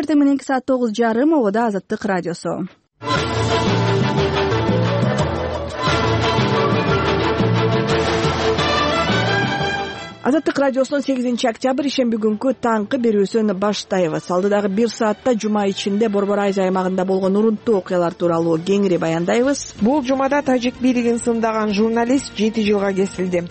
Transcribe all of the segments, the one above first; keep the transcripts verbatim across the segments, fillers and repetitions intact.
эртең мененки саат тогуз жарым ободо Азаттык радиосу. Азаттык радиосунун сегизинчи октябрь ишемби күнкү таңкы берүүсүн баштайбыз. Алдыдагы бир саатта жума ичинде Борбор Айз аймагында болгон урунттуу окуялар тууралуу кеңири баяндайбыз. Бул жумада тажик бийлигин сындаган журналист жети жылга кесилди.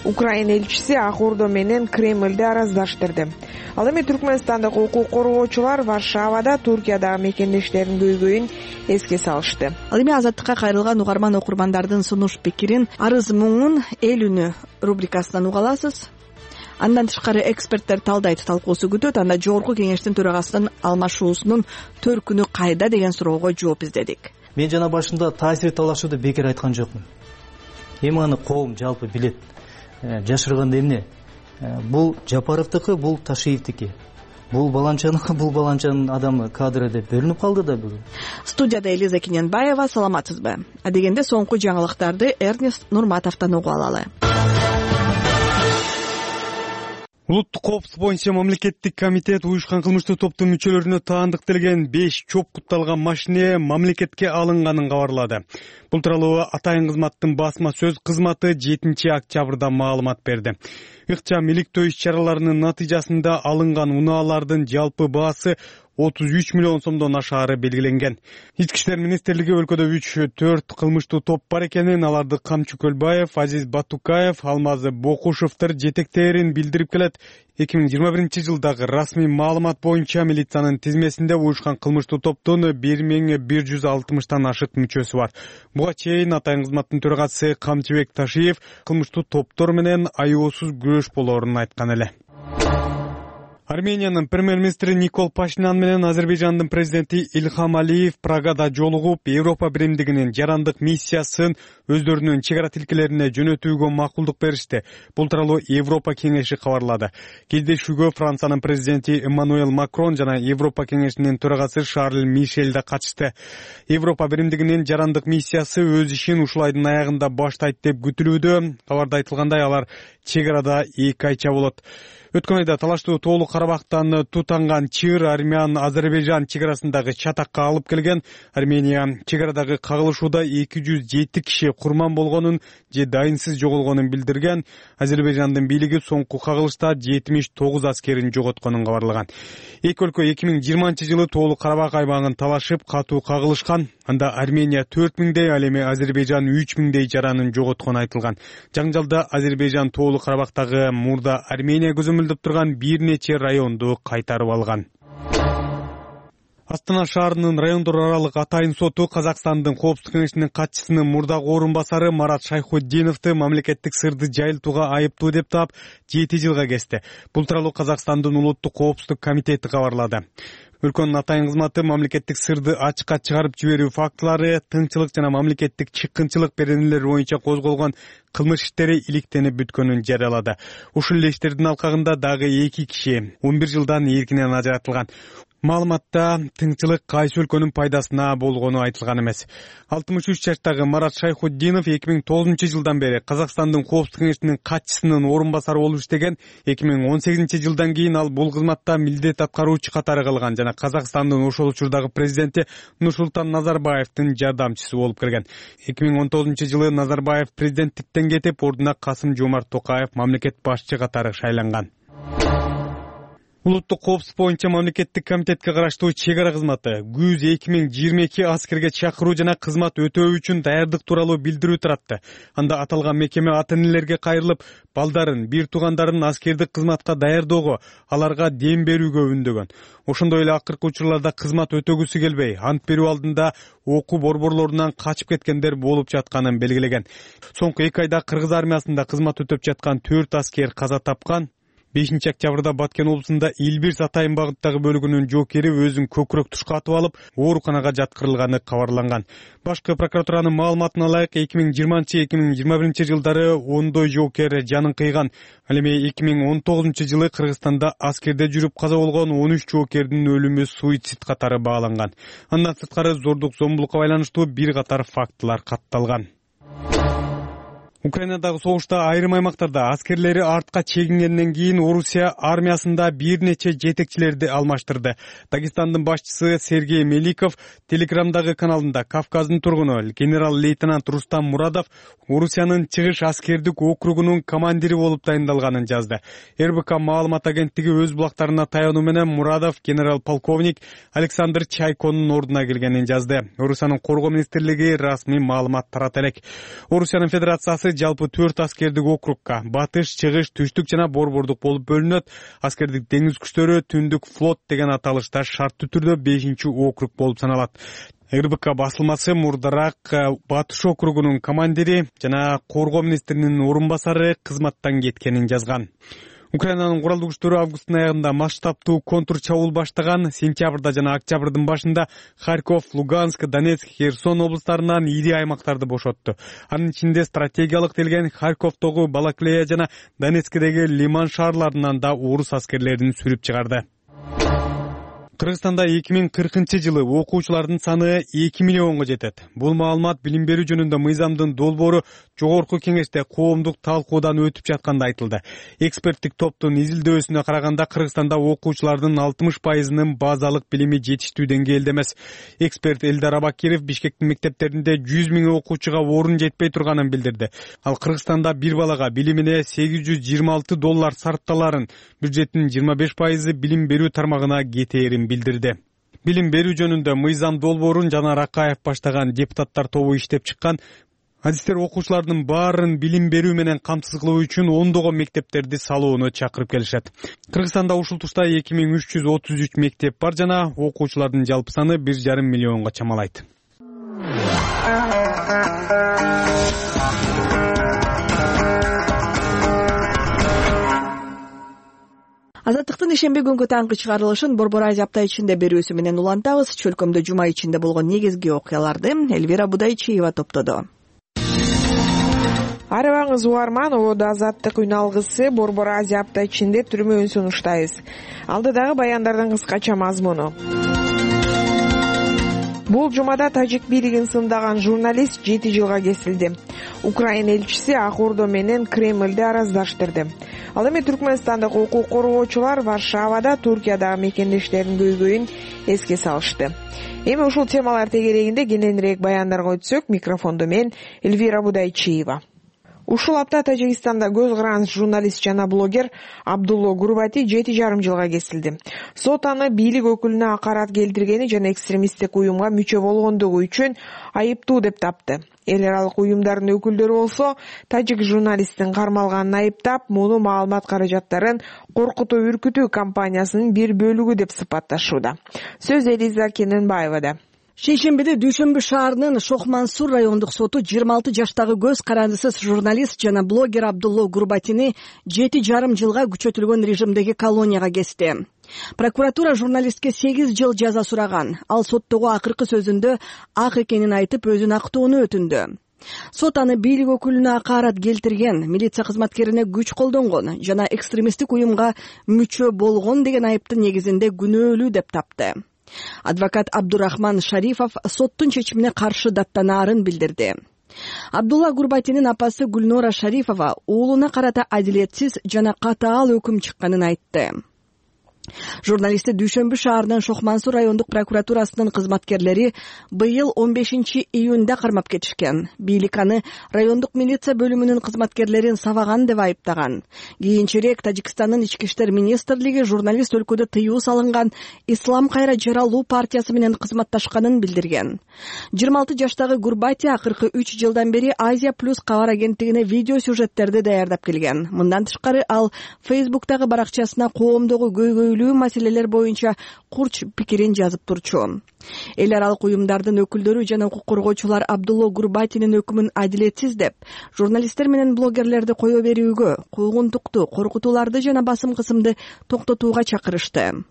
Украина элчиси Ак Ордо менен Кремлди араздаштырды. Ал эми түркмөнстандык укук коргоочулар Варшавада Туркиядагы мекендештеринин көйгөйүн эске салышты. Ал эми Азаттыкка кайрылган угарман окурмандардын сунуш пикирин, арыз муңун эл үнү рубрикасынан уга аласыз. Андан тышкары эксперттер талдайт талкуусу күтөт. Анда жогорку кеңештин төрагасынын алмашуусунун төркүнү кайда деген суроого жооп издедик. Мен жана башында таасир талашууду бекер айткан жокмун. Эми аны коом жалпы билет. Жашырганда эмне? Бул Жапаровдуку, бул Ташиевдики. Бул баланчаныкы, бул баланчанын адамы кадры деп бөлүнүп калды да бүгүн. Студияда Элиза Кененбаева, саламатсызбы? Адегенде соңку жаңылыктарды Эрнест Нурматовдон угуп алалы. Улуттук коопсуздук боюнча мамлекеттик комитет уюшкан кылмыштуу топтун мүчөлөрүнө таандыкталган беш чоп кутталган машине мамлекетке алынганын кабарлады. Бул тууралуу Атайын кызматтын басма сөз кызматы жетинчи октябрда маалымат берди. Ыкчам иликтөө иш-чараларынын натыйжасында алынган унаалардын жалпы баасы отуз үч миллион сомдон ашаары белгиленген. Ички иштер министрлиги өлкөдө үч төрт кылмыштуу топ бар экенин, аларды Камчы Көлбаев, Азиз Батукаев, Алмаз Бокушевдер жетектээрин билдирип келет. эки миң жыйырма биринчи жылдагы расмий маалымат боюнча милициянын тизмесинде уюшкан кылмыштуу топтун бир миң бир жүз алтымыштан ашык мүчөсү бар. Буга чейин Атайын кызматтын төрагасы Камчыбек Ташиев кылмыштуу топтор менен аеосуз күрөш болоорун айткан эле. Армениянын премьер-министри Никол Пашинян менен Азербайжандын президенти Илхам Алиев Прагада жолугуп, Европа биримдигинин жарандык миссиясын өздөрүнүн чек ара тилкелерине жөнөтүүгө макулдук беришти. Бул тууралуу Европа кеңеши кабарлады. Кездешүүгө Франциянын президенти Эммануэл Макрон жана Европа кеңешинин төрагасы Шарль Мишель да катышты. Европа биримдигинин жарандык миссиясы өз ишин ушул айдын аягында баштайт деп күтүлүүдө. Кабарда айтылгандай, алар чек арада эки айча болот. Өткөн айда талаштуу Тоолук Карабактан тутанган чыр Армян Азербайжан чек арасындагы чатакка алып келген. Армения чек арадагы кагылышууда эки жүз жети киши курман болгонун же дайынсыз жоголгонун билдирген. Азербайжандын бийлиги соңку кагылышта жетимиш тогуз аскерин жоготконун кабарлаган. Эки өлкө эки миң жыйырманчы жылы Тоолук Карабак аймагын талашып катуу кагылышкан. Анда Армения төрт миңдей, ал эми Азербайжан үч миңдей жаранын жоготкону айтылган. Жаңжалда Азербайжан Тоолук Карабактагы мурда Армения көзөмөлдөп турган бир нече районду кайтарып алган. Астана шаарынын райондор аралык Атайын соту Казакстандын коопсуздук кеңешинин катчысынын мурдагы орун басары Марат Шайхутдиновду мамлекеттик сырды жайылтууга айыптуу деп таап жети жылга кести. Бул тууралуу Казакстандын улуттук коопсуздук комитети кабарлады. Өлкөнүн Атайын кызматы мамлекеттик сырды ачыкка чыгарып жиберүү фактылары, тыңчылык жана мамлекеттик чыккынчылык беренелери боюнча козголгон кылмыш иштери иликтенип бүткөнүн жарыялады. Ушул эле иштердин алкагында дагы эки киши он бир жылдан эркинен ажыратылган. Маалыматта тыңчылык кайсы өлкөнүн пайдасына болгону айтылган эмес. алтымыш үч жаштагы Марат Шайхутдинов эки миң тогузунчу жылдан бери Казакстандын коопсуздук кеңешинин катчысынын орун басары болуп иштеген. эки миң он сегизинчи жылдан кийин ал бул кызматта милдет аткаруучу катары калган жана Казакстандын ошол учурдагы президенти Нурсултан Назарбаевдин жардамчысы болуп келген. эки миң он тогузунчу жылы Назарбаев президенттиктен кетип, ордуна Касым Жомарт Токаев мамлекет башчы катары шайланган. Улуттук коопсуздук боюнча мамлекеттик комитетке караштуу чек ара кызматы күз эки миң жыйырма эки аскерге чакыруу жана кызмат өтөө үчүн даярдык тууралуу билдирүү таратты. Анда аталган мекеме ата-энелерге кайрылып, балдарын, бир туугандарын аскердик кызматка даярдоого, аларга дем берүүгө үндөгөн. Ошондой эле акыркы учурларда кызмат өтөгүсү келбей, ант берүү алдында окуу борборлорунан качып кеткендер болуп жатканын белгилеген. Соңку эки айда Кыргыз армиясында кызмат өтөп жаткан төрт аскер каза тапкан. бешинчи октябрда Баткен облусунда Илбирс Атайын багыттагы бөлүгүнүн жокери өзүн көкүрөк тушка атып алып, ооруканага жаткырылганы кабарланган. Башкы прокуратуранын маалыматына ылайык эки миң жыйырманчы эки миң жыйырма биринчи жылдары ондой жокер жанын кыйган. Ал эми эки миң он тогузунчу жылы Кыргызстанда аскерде жүрүп каза болгон он үч жокердин өлүмү суицид катары бааланган. Андан сырткары зордук зомбулукка байланыштуу бир катар фактылар катталган. Украинадагы согушта айрым аймактарда аскерлери артка чегингенден кийин Орусия армиясында бир нече жетекчилерди алмаштырды. Дагестандын башчысы Сергей Меликов Телеграмдагы каналында Кавказдын тургуну генерал-лейтенант Рустам Мурадов Орусиянын чыгыш аскердик округунун командири болуп дайындалганын жазды. эр бэ ка маалымат агенттиги өз булактарына таянуу менен Мурадов генерал-полковник Александр Чайконун ордуна келгенин жазды. Орусиянын коргоо министрлиги расмий маалымат тарата элек. Орусиянын федерациясы жалпы төрт аскердик округка батыш, чыгыш, түштүк жана борбордук болуп бөлүнөт. Аскердик деңиз күчтөрү түндүк флот деген аталышта шарттуу түрдө бешинчи округ болуп саналат. эр бэ ка басылмасы мурдараак батыш округунун командири жана коргоо министринин орун басары кызматтан кеткенин жазган. Украинанын куралдуу күчтөрү августтун аягында масштабтуу контур чабуул баштаган. Сентябрда жана октябрдын башында Харьков, Луганск, Донецк, Херсон облустарынан ири аймактарды бошотту. Анын ичинде стратегиялык делген Харьковдогу Балаклея жана Донецкдеги Лиман шаарларынан да орус аскерлерин сүрүп чыгарды. Кыргызстанда эки миң кыркынчы жылы окуучулардын саны эки миллионго жетет. Бул маалымат билим берүү жөнүндө мыйзамдын долбоору жогорку кеңеште коомдук талкуудан өтүп жатканда айтылды. Эксперттик топтун изилдөөсүнө караганда Кыргызстанда окуучулардын алтымыш пайызынын базалык билими жетиштүү деңгээлде эмес. Эксперт Элдар Абакиров Бишкектин мектептеринде жүз миң окуучуга орун жетпей турганын билдирди. Ал Кыргызстанда бир балага билимине сегиз жүз жыйырма алты доллар сарпталарын, бюджеттин жыйырма беш пайызы билим берүү тармагына кетээрин билдирди. Билим берүү жөнүндө мыйзам долбоорун Жанар Акаев баштаган депутаттар тобу иштеп чыккан. Адистер окуучулардын баарын билим берүү менен камсыз кылуу үчүн ондогон мектептерди салууну чакырып келишет. Кыргызстанда ушул тушта эки миң үч жүз отуз үч мектеп бар жана окуучулардын жалпы саны бир жарым миллионго чамалайт. Азаттыктын ишемби күнгү таңкы чыгарылышын Борбор Азия апта ичинде берүүсү менен улантабыз. Чөлкөмдө жума ичинде болгон негизги окуяларды Эльвира Будайчиева топтоду. Арыбаңыз угарман, Улуу Азаттык үн алгысы Борбор Азия апта ичинде түрмөөн сунуштайбыз. Алдыдагы баяндардын кыскача мазмуну. Бул жумада Тажик бийлигин сындаган журналист жети жылга кесилди. Украина элчиси Ак Ордо менен Кремлди араздаштырды. Ал эми Түркмөнстандык укук коргоочулар Варшавада Туркиядагы мекендештеринин көйгөйүн эске салышты. Эми ушул темалар тегерегинде кененирээк баяндарга өтсөк, микрофондо мен Эльвира Будайчиева. Ушул апта Тажикстанда көз каранч журналист жана блогер Абдулло Гурбати жети жарым жылга кесилди. Сот аны бийлик өкүлүнө акарат келтиргени жана экстремисттик уюмга мүчө болгондугу үчүн айыптуу деп тапты. Эл аралык уюмдардын өкүлдөрү болсо тажик журналисттин кармалганын айыптап, муну маалымат каражаттарын коркутуу үркүтүү кампаниясынын бир бөлүгү деп сыпатташууда. Сөз Элиза Кененбаевада. Шейшембиде Дүйшөмбү шаарынын Шохмансур райондук соту жыйырма алты жаштагы көз карандысыз журналист жана блогер Абдулло Гурбатини жети жарым жылга күчөтүлгөн режимдеги колонияга кести. Прокуратура журналистке сегиз жыл жаза сураган. Ал соттогу акыркы сөзүндө ак экенин айтып, өзүн актоону өтүндү. Сот аны бийлик өкүлүнө акарат келтирген, милиция кызматкерине күч колдонгон жана экстремисттик уюмга мүчө болгон деген айыптын негизинде күнөөлүү деп тапты. Адвокат Абдурахман Шарифов соттун чечимине каршы даттанаарын билдирди. Абдулла Гурбатинин апасы Гүлнора Шарифова уулуна карата адилетсиз жана катаал өкүм чыкканын айтты. Журналистти Дүйшөмбү шаарынын Шохмансур райондук прокуратурасынын кызматкерлери быйыл он бешинчи июнда кармап кетишкен. Бийлик аны райондук милиция бөлүмүнүн кызматкерлерин сабаган деп айыптаган. Кийинчерээк Тажикстандын ички иштер министрлиги журналист өлкөдө тыюу салынган Ислам кайра жаралуу партиясы менен кызматташканын билдирген. жыйырма алты жаштагы Гурбати акыркы үч жылдан бери Азия плюс кабар агенттигине видео сюжеттерди даярдап келген. Мындан тышкары ал Фейсбуктагы баракчасына коомдогу көйгөй маселелер боюнча курч пикирин жазып турчу. Эл аралык уюмдардын өкүлдөрү жана укук коргоочулар Абдулло Гурбатинин өкүмүн адилетсиз деп, журналисттер менен блогерлерди кое берүүгө, куугунтукту, коркутууларды жана басым кысымды токтотууга чакырышты.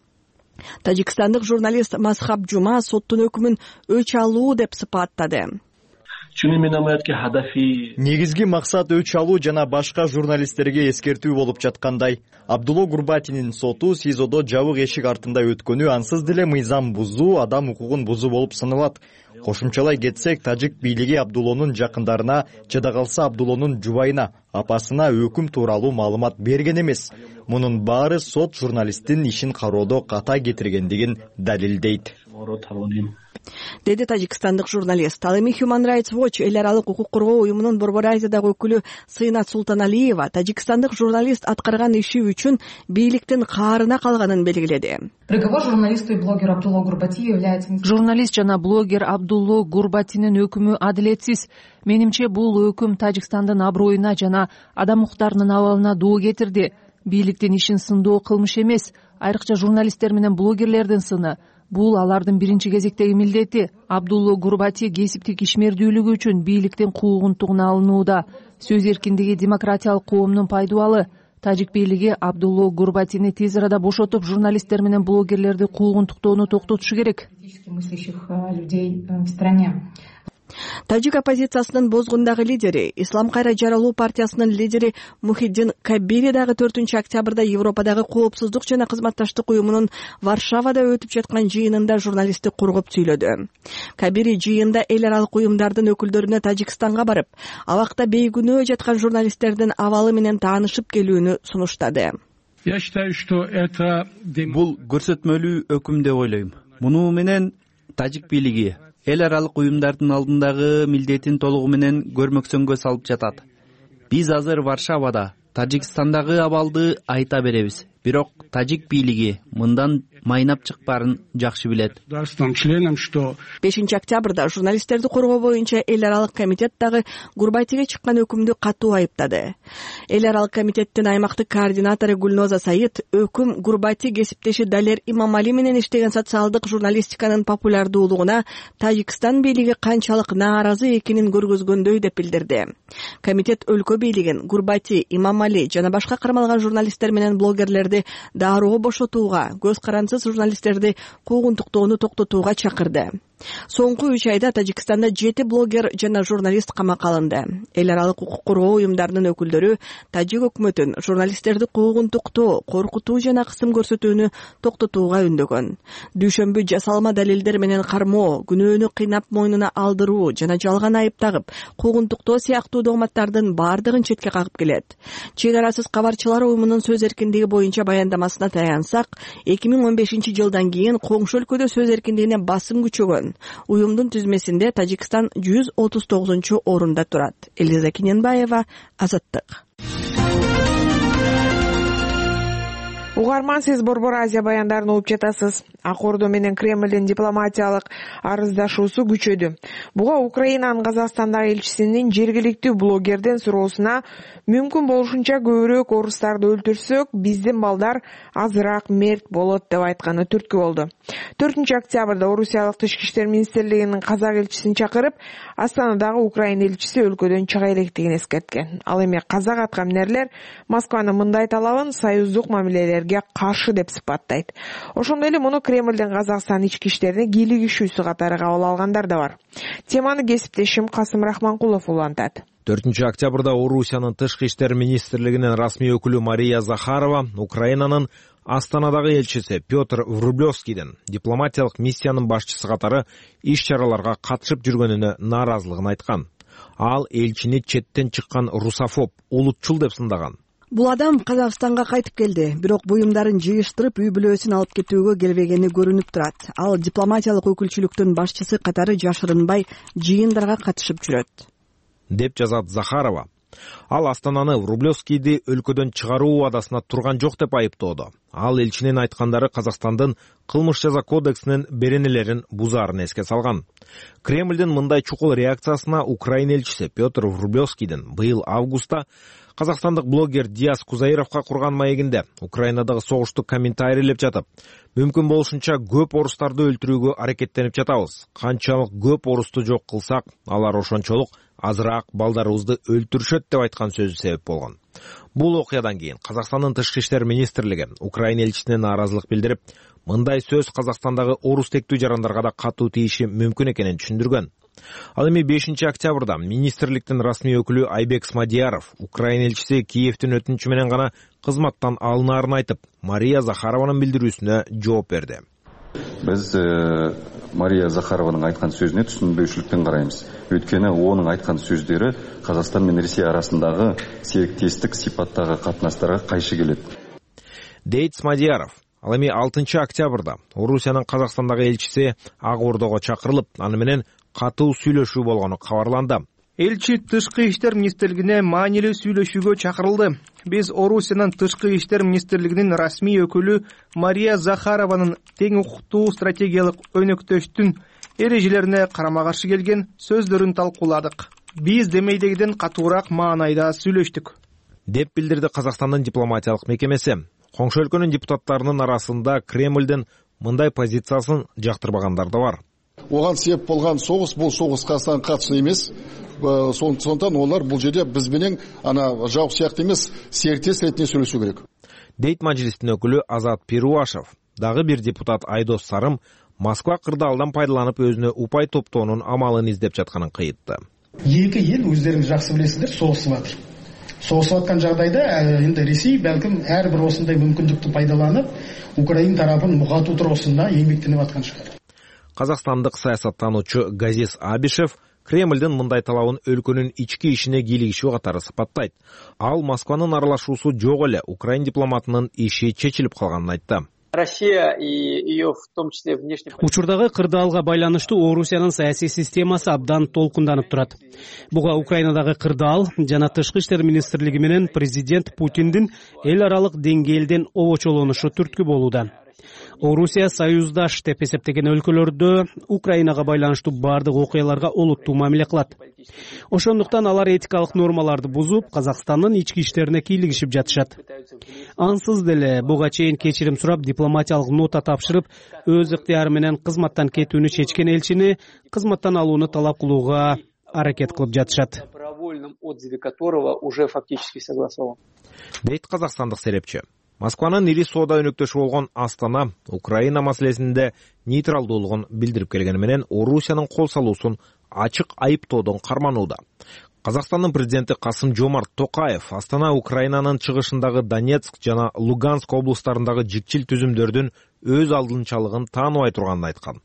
Тажикстандык журналист Масхаб Жума соттун өкүмүн өч алуу деп сыпаттады. Негизги максат өч алуу жана башка журналисттерге эскертүү болуп жаткандай. Абдулло Гурбатинин соту СИЗОдо жабык эшик артында өткөнү ансыз деле мыйзам бузуу, адам укугун бузуу болуп саналат. Кошумчалай кетсек, тажик бийлиги Абдуллонун жакындарына, жада калса Абдуллонун жубайына, апасына өкүм тууралуу маалымат берген эмес. Мунун баары сот журналисттин ишин кароодо ката кетиргендигин далилдейт, деди тажикстандык журналист. Ал эми Human Rights Watch эл аралык укук коргоо уюмунун Борбор Азиядагы өкүлү Сыйнат Султаналиева тажикстандык журналист аткарган иши үчүн бийликтин каарына калганын белгиледи. Приговор журналисту и блогеру Абдулло Гурбати является... Журналист жана блогер Абдулло Гурбатинин өкүмү адилетсиз. Менимче бул өкүм Тажикстандын аброюна жана адам укуктарынын абалына доо кетирди. Бийликтин ишин сындоо кылмыш эмес, айрыкча журналисттер менен блогерлердин сыны. Бул алардын биринчи кезектеги милдети. Абдулло Гурбати кесиптик ишмердүүлүгү үчүн бийликтин куугунтугуна алынууда. Сөз эркиндиги демократиялык коомдун пайдубалы. Тажик бийлиги Абдулло Гурбатини тез арада бошотуп, журналисттер менен блогерлерди куугунтуктоону токтотушу керек. Тажик оппозициясынын бозгундагы лидери, Ислам кайра жаралуу партиясынын лидери Мухиддин Кабири дагы төртүнчү октябрда Европадагы коопсуздук жана кызматташтык уюмунун Варшавада өтүп жаткан жыйынында журналистти коргоп сүйлөдү. Кабири жыйында эл аралык уюмдардын өкүлдөрүнө Тажикстанга барып, абакта бейгүнөө жаткан журналисттердин абалы менен таанышып келүүнү сунуштады. Бул көрсөтмөлүү өкүм деп ойлойм. Муну менен тажик бийлиги эл аралык уюмдардын алдындагы милдетин толугу менен көрмөксөнгө салып жатат. Биз азыр Варшавада Тажикстандагы абалды айта беребиз. Бирок тажик бийлиги мындан майнап чыкпаарын жакшы билет. бешинчи октябрда журналисттерди коргоо боюнча эл аралык комитет дагы Гурбатиге чыккан өкүмдү катуу айыптады. Эл аралык комитеттин аймактык координатору Гүлноза Саид өкүм Гурбати кесиптеши Далер Имамали менен иштеген социалдык журналистиканын популярдуулугуна Тажикстан бийлиги канчалык нааразы экенин көргөзгөндөй деп билдирди. Комитет өлкө бийлигин Гурбати, Имамали жана башка кармалган журналисттер менен блогерлерди дароо бошотууга, көз карансыз журналисттерди куугунтуктоону токтотууга чакырды. Соңку үч айда Тажикстанда жети блогер жана журналист камакка алынды. Эл аралык укук коргоо уюмдарынын өкүлдөрү тажик өкмөтүн журналисттерди куугунтуктоо, коркутуу жана кысым көрсөтүүнү токтотууга үндөгөн. Дүйшөмбү жасалма далилдер менен кармоо, күнөөнү кыйнап мойнуна алдыруу жана жалган айып тагып, куугунтуктоо сыяктуу догматтардын баардыгын четке кагып келет. Чек арасыз кабарчылар уюмунун сөз эркиндиги боюнча баяндамасына таянсак, эки миң он бешинчи жылдан кийин коңшу өлкөдө сөз эркиндигине басым күчөгөн. Уюмдун түзмесинде Тажикстан жүз отуз тогузунчу орунда турат. Элиза Киненбаева, Азаттык. Угарман, сиз Борбор Азия баяндарын угуп жатасыз. Ак Ордо менен Кремлдин дипломатиялык арыздашуусу күчөдү. Буга Украинанын Казакстандагы элчисинин жергиликтүү блогердин суроосуна мүмкүн болушунча көбүрөөк орустарды өлтүрсөк, биздин балдар азыраак мерт болот деп айтканы түрткү болду. төртүнчү октябрда Орусиялык Тышкы иштер министрлигинин казак элчисин чакырып, Астанадагы Украина элчиси өлкөдөн чыга электигин эскерткен. Ал эми казак аткаминерлер Москванын мындай талабын союздук мамилелерге каршы деп сыпаттайт. Ошондой эле муну Кремлдин Казакстан ички иштерине кийлигишүүсү катары кабыл алгандар да бар. Теманы кесиптешим Касым Рахманкулов улантат. төртүнчү октябрда Орусиянын Тышкы иштер министрлигинин расмий өкүлү Мария Захарова Украинанын Астанадагы элчиси Петр Врублевскийдин дипломатиялык миссиянын башчысы катары иш-чараларга катышып жүргөнүнө нааразылыгын айткан. Ал элчини четтен чыккан русофоб, улутчул деп сындаган. Бул адам Казакстанга кайтып келди, бирок буюмдарын жыйыштырып үй бүлөсүн алып кетүүгө келбегени көрүнүп турат. Ал дипломатиялык өкүлчүлүктүн башчысы катары жашырынбай жыйындарга катышып жүрөт, деп жазат Захарова. Ал Астананы Врублевскийди өлкөдөн чыгаруу убадасына турган жок деп айыптоодо. Ал элчинин айткандары Казакстандын кылмыш жаза кодексинин беренелерин бузаарын эске салган. Кремлдин мындай чукул реакциясына Украина элчиси Петр Врублевскийдин быйыл августта казакстандык блогер Диас Кузаировго курган маегинде Украинадагы согушту комментарийлеп жатып, мүмкүн болушунча көп орустарды өлтүрүүгө аракеттенип жатабыз. Канчалык көп орусту жок кылсак, алар ошончолук азыраак балдарыбызды өлтүрүшөт деп айткан сөзү себеп болгон. Бул окуядан кийин Казакстандын Тышкы иштер министрлиги Украина элчисине нааразылык билдирип, мындай сөз Казакстандагы орус тектүү жарандарга да катуу тийиши мүмкүн экенин түшүндүргөн. Ал эми бешинчи октябрда министрликтин расмий өкүлү Айбек Смадияров Украина элчиси Киевдин өтүнүчү менен гана кызматтан алынаарын айтып, Мария Захарованын билдирүүсүнө жооп берди. Биз Мария Захарованын айткан сөзүнө түшүнбөйчүлүкпен карайбыз. Өйткені оның айткан сөздері Қазақстан мен Ресей арасындағы серіктестік сипаттағы қатынастарға кайшы келет. Дейт Смадияров. Ал эми алтынчы октябрда Орусиянын Казакстандагы элчиси Ак Ордого чакырылып, аны менен катуу сүйлөшүү болгону кабарланды. Элчи Тышкы иштер министрлигине маанилүү сүйлөшүүгө чакырылды. Биз Орусиянын Тышкы иштер министрлигинин расмий өкүлү Мария Захарованын тең укуктуу стратегиялык өнөктөштүн эрежелерине карама-каршы келген сөздөрүн талкууладык. Биз демейдегиден катуураак маанайда сүйлөштүк, деп билдирди Казакстандын дипломатиялык мекемеси. Коңшу өлкөнүн депутаттарынын арасында Кремлдин мындай позициясын жактырбагандар да бар. Оған себеп болгон согуш, бул согуш Казакстанга катышты эмес. Сондықтан олар бул жерде биз менен ана жауап сыяктуу эмес, серіктес ретинде сүйлөшүү керек. Дейт мажлистин өкүлү Азат Перуашев. Дагы бир депутат Айдос Сарым Москва кырдаалдан пайдаланып өзүнө упай топтоонун амалын издеп жатканын кыйытты. Эки эл өздөрүңүз жакшы билесиздер, согушуп атыр. Согушуп аткан жагдайда энди Ресей балким ар бир осундай мүмкүндүктү пайдаланып, Украина тарапын мугатуу туруусунда эмгектенип аткан шыгар. Казакстандык саясаттануучу Газис Абишев Кремлдин мындай талабын өлкөнүн ички ишине кийлигишүү катары сыпаттайт. Ал Москванын аралашуусу жок эле, Украин дипломатынын иши чечилип калганын айтты. Россия и ее в том числе внешне. Учурдагы кырдаалга байланыштуу Орусиянын саясий системасы абдан толкунданып турат. Буга Украинадагы кырдаал жана Тышкы иштер министрлиги менен президент Путиндин эл аралык деңгээлден обочолонушу түрткү болууда. Орусия союздаш деп эсептеген өлкөлөрдө Украинага байланыштуу бардык окуяларга олуттуу мамиле кылат. Ошондуктан алар этикалык нормаларды бузуп, Казакстандын ички иштерине кийлигишип жатышат. Ансыз деле буга чейин кечирим сурап, дипломатиялык нота тапшырып, өз ыктыяры менен кызматтан кетүүнү чечкен элчини кызматтан алууну талап кылууга аракет кылып жатышат. Дейт казакстандык серепчи. Москванын ири соода өнөктөшү болгон Астана Украина маселесинде нейтралдуулугун билдирип келгени менен Орусиянын кол салуусун ачык айыптоодон карманууда. Казакстандын президенти Касым Жомарт Токаев Астана Украинанын чыгышындагы Донецк жана Луганск облустарындагы жикчил түзүмдөрдүн өз алдынчалыгын тааныбай турганын айткан.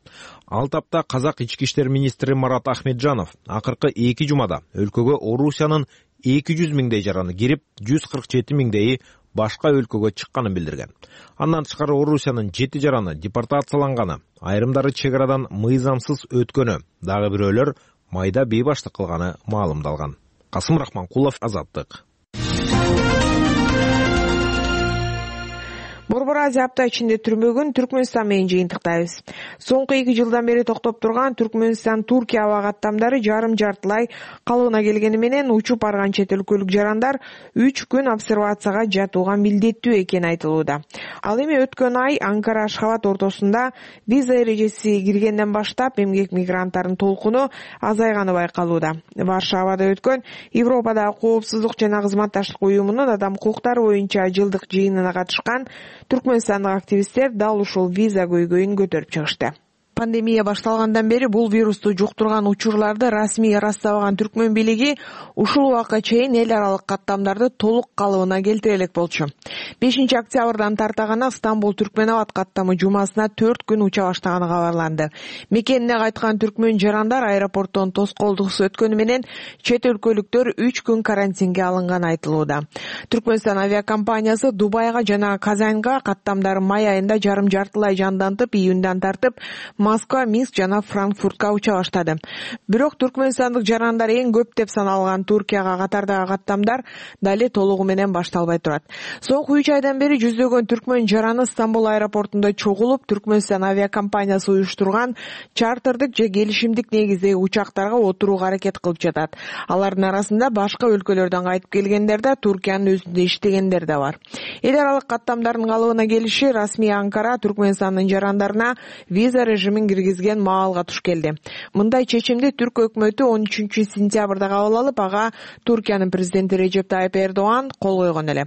Ал тапта казак ички иштер министри Марат Ахмеджанов акыркы эки жумада өлкөгө Орусиянын эки жүз миңдей жараны кирип, жүз кырк жети миңдейи башка өлкөгө чыкканын билдирген. Андан тышкары Орусиянын жети жараны депортацияланганы, айрымдары чек арадан мыйзамсыз өткөнү, дагы бирөөлөр майда бейбаштык кылганы маалымдалган. Касым Рахманкулов, Азаттык. Борбор Азия апта ичинде түрмөгүн Түркмөнстан менен жыйынтыктайбыз. Соңку эки жылдан бери токтоп турган Түркмөнстан Туркия аба каттамдары жарым жартылай калыбына келгени менен учуп барган чет өлкөлүк жарандар үч күн обсервацияга жатууга милдеттүү экени айтылууда. Ал эми өткөн ай Анкара Ашхабад ортосунда виза эрежеси киргенден баштап эмгек мигранттарынын толкуну азайганы байкалууда. Варшавада өткөн Европадагы коопсуздук жана кызматташтык уюмунун адам укуктары боюнча жылдык жыйынына катышкан түркмөнстандык активисттер дал ушул виза көйгөйүн көтөрүп чыгышты. Пандемия башталгандан бери бул вирусту жуктурган учурларды расмий ырастабаган түркмөн бийлиги ушул убакка чейин эл аралык каттамдарды толук калыбына келтире элек болчу. бешинчи октябрдан тарта гана Стамбул Түркмөнабад каттамы жумасына төрт күн уча баштаганы кабарланды. Мекенине кайткан түркмөн жарандар аэропорттон тоскоолдуксуз өткөнү менен чет өлкөлүктөр үч күн карантинге алынганы айтылууда. Түркмөнстан авиакомпаниясы Дубайга жана Казанга каттамдары май айында жарым жартылай жандантып, июндан тартып Москва, Минск жана Франкфуртка уча баштады. Бирок түркмөнстандык жарандар эң көп деп саналган Туркияга катардагы каттамдар дали толугу менен башталбай турат. Соңку үч айдан бери жүздөгөн түркмөн жараны Стамбул аэропортунда чогулуп, Түркмөнстан авиакомпаниясы уюштурган чартердик же келишимдик негиздеги учактарга отурууга аракет кылып жатат. Алардын арасында башка өлкөлөрдөн кайтып келгендер да, Туркиянын өзүндө иштегендер да бар. Эл аралык каттамдардын калыбына келиши расмий Анкара Түркмөнстандын жарандарына виза режимин киргизген маалга туш келди. Мындай чечимди түрк өкмөтү он үчүнчү сентябрда кабыл алып, ага Туркиянын президенти Режеп Тайып Эрдоган кол койгон эле.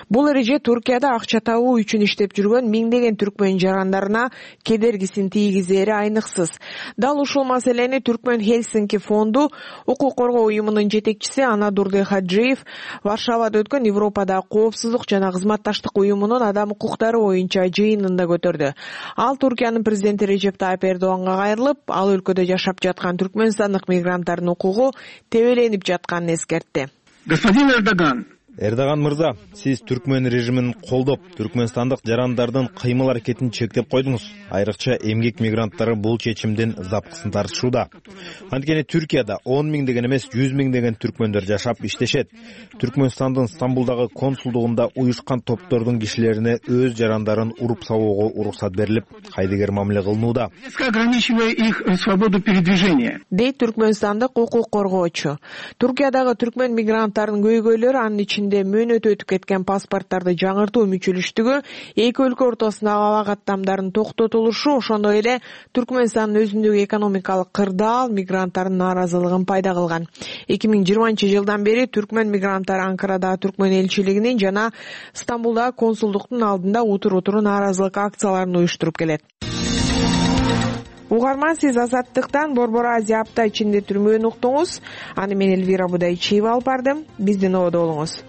Бул эреже Туркияда акча табуу үчүн иштеп жүргөн миңдеген түркмөн жарандарына кедергисин тийгизери айныксыз. Дал ушул маселени Түркмөн Хельсинки фонду укук коргоо уюмунун жетекчиси Анадурды Хаджиев Варшавада өткөн Европадагы коопсуздук жана кызматташтык уюмунун адам укуктары боюнча жыйынында көтөрдү. Ал Туркиянын президенти Режеп Тайып Таyyip Эрдоганга кайрылып, ал өлкөдө жашап жаткан түркмөнстандык мигранттардын укугу тебеленип жатканын эскертти. Господин Эрдоган, Эрдоган мырза, сиз түркмөн режимин колдоп, түркмөнстандык жарандардын кыймыл аракетин чектеп койдуңуз. Айрыкча эмгек мигранттары бул чечимдин запкысын тартышууда. Анткени Түркияда он миңдеген эмес жүз миңдеген түркмөндөр жашап иштешет. Түркмөнстандын Стамбулдагы консулдугунда уюшкан топтордун кишилерине өз жарандарын уруп сабоого уруксат берилип, кайдыгер мамиле кылынууда. ограничивая их свободу передвижения. Дейт түркмөнстандык укук коргоочу. Туркиядагы түркмөн мигранттарынын көйгөйлөрү анын ичинде мөөнөт өтүп кеткен паспорттарды жаңыртуу мүчөлүштүгү, эки өлкө ортосундагы аба каттамдардын токтотулушу, ошондой эле Түркмөнстандын өзүндөгү экономикалык кырдаал мигранттардын нааразылыгын пайда кылган. эки миң жыйырманчы жылдан бери түркмөн мигранттары Анкарадагы түркмөн элчилигинин жана Стамбулдагы консулдуктун алдында утур-утур нааразылык акцияларын уюштуруп келет. Угарман, сиз Азаттыктан Борбор Азия апта ичинде түрмөөнү уктуңуз. Аны мен Элвира Будайчиева алып бардым. Биздин ободо болуңуз.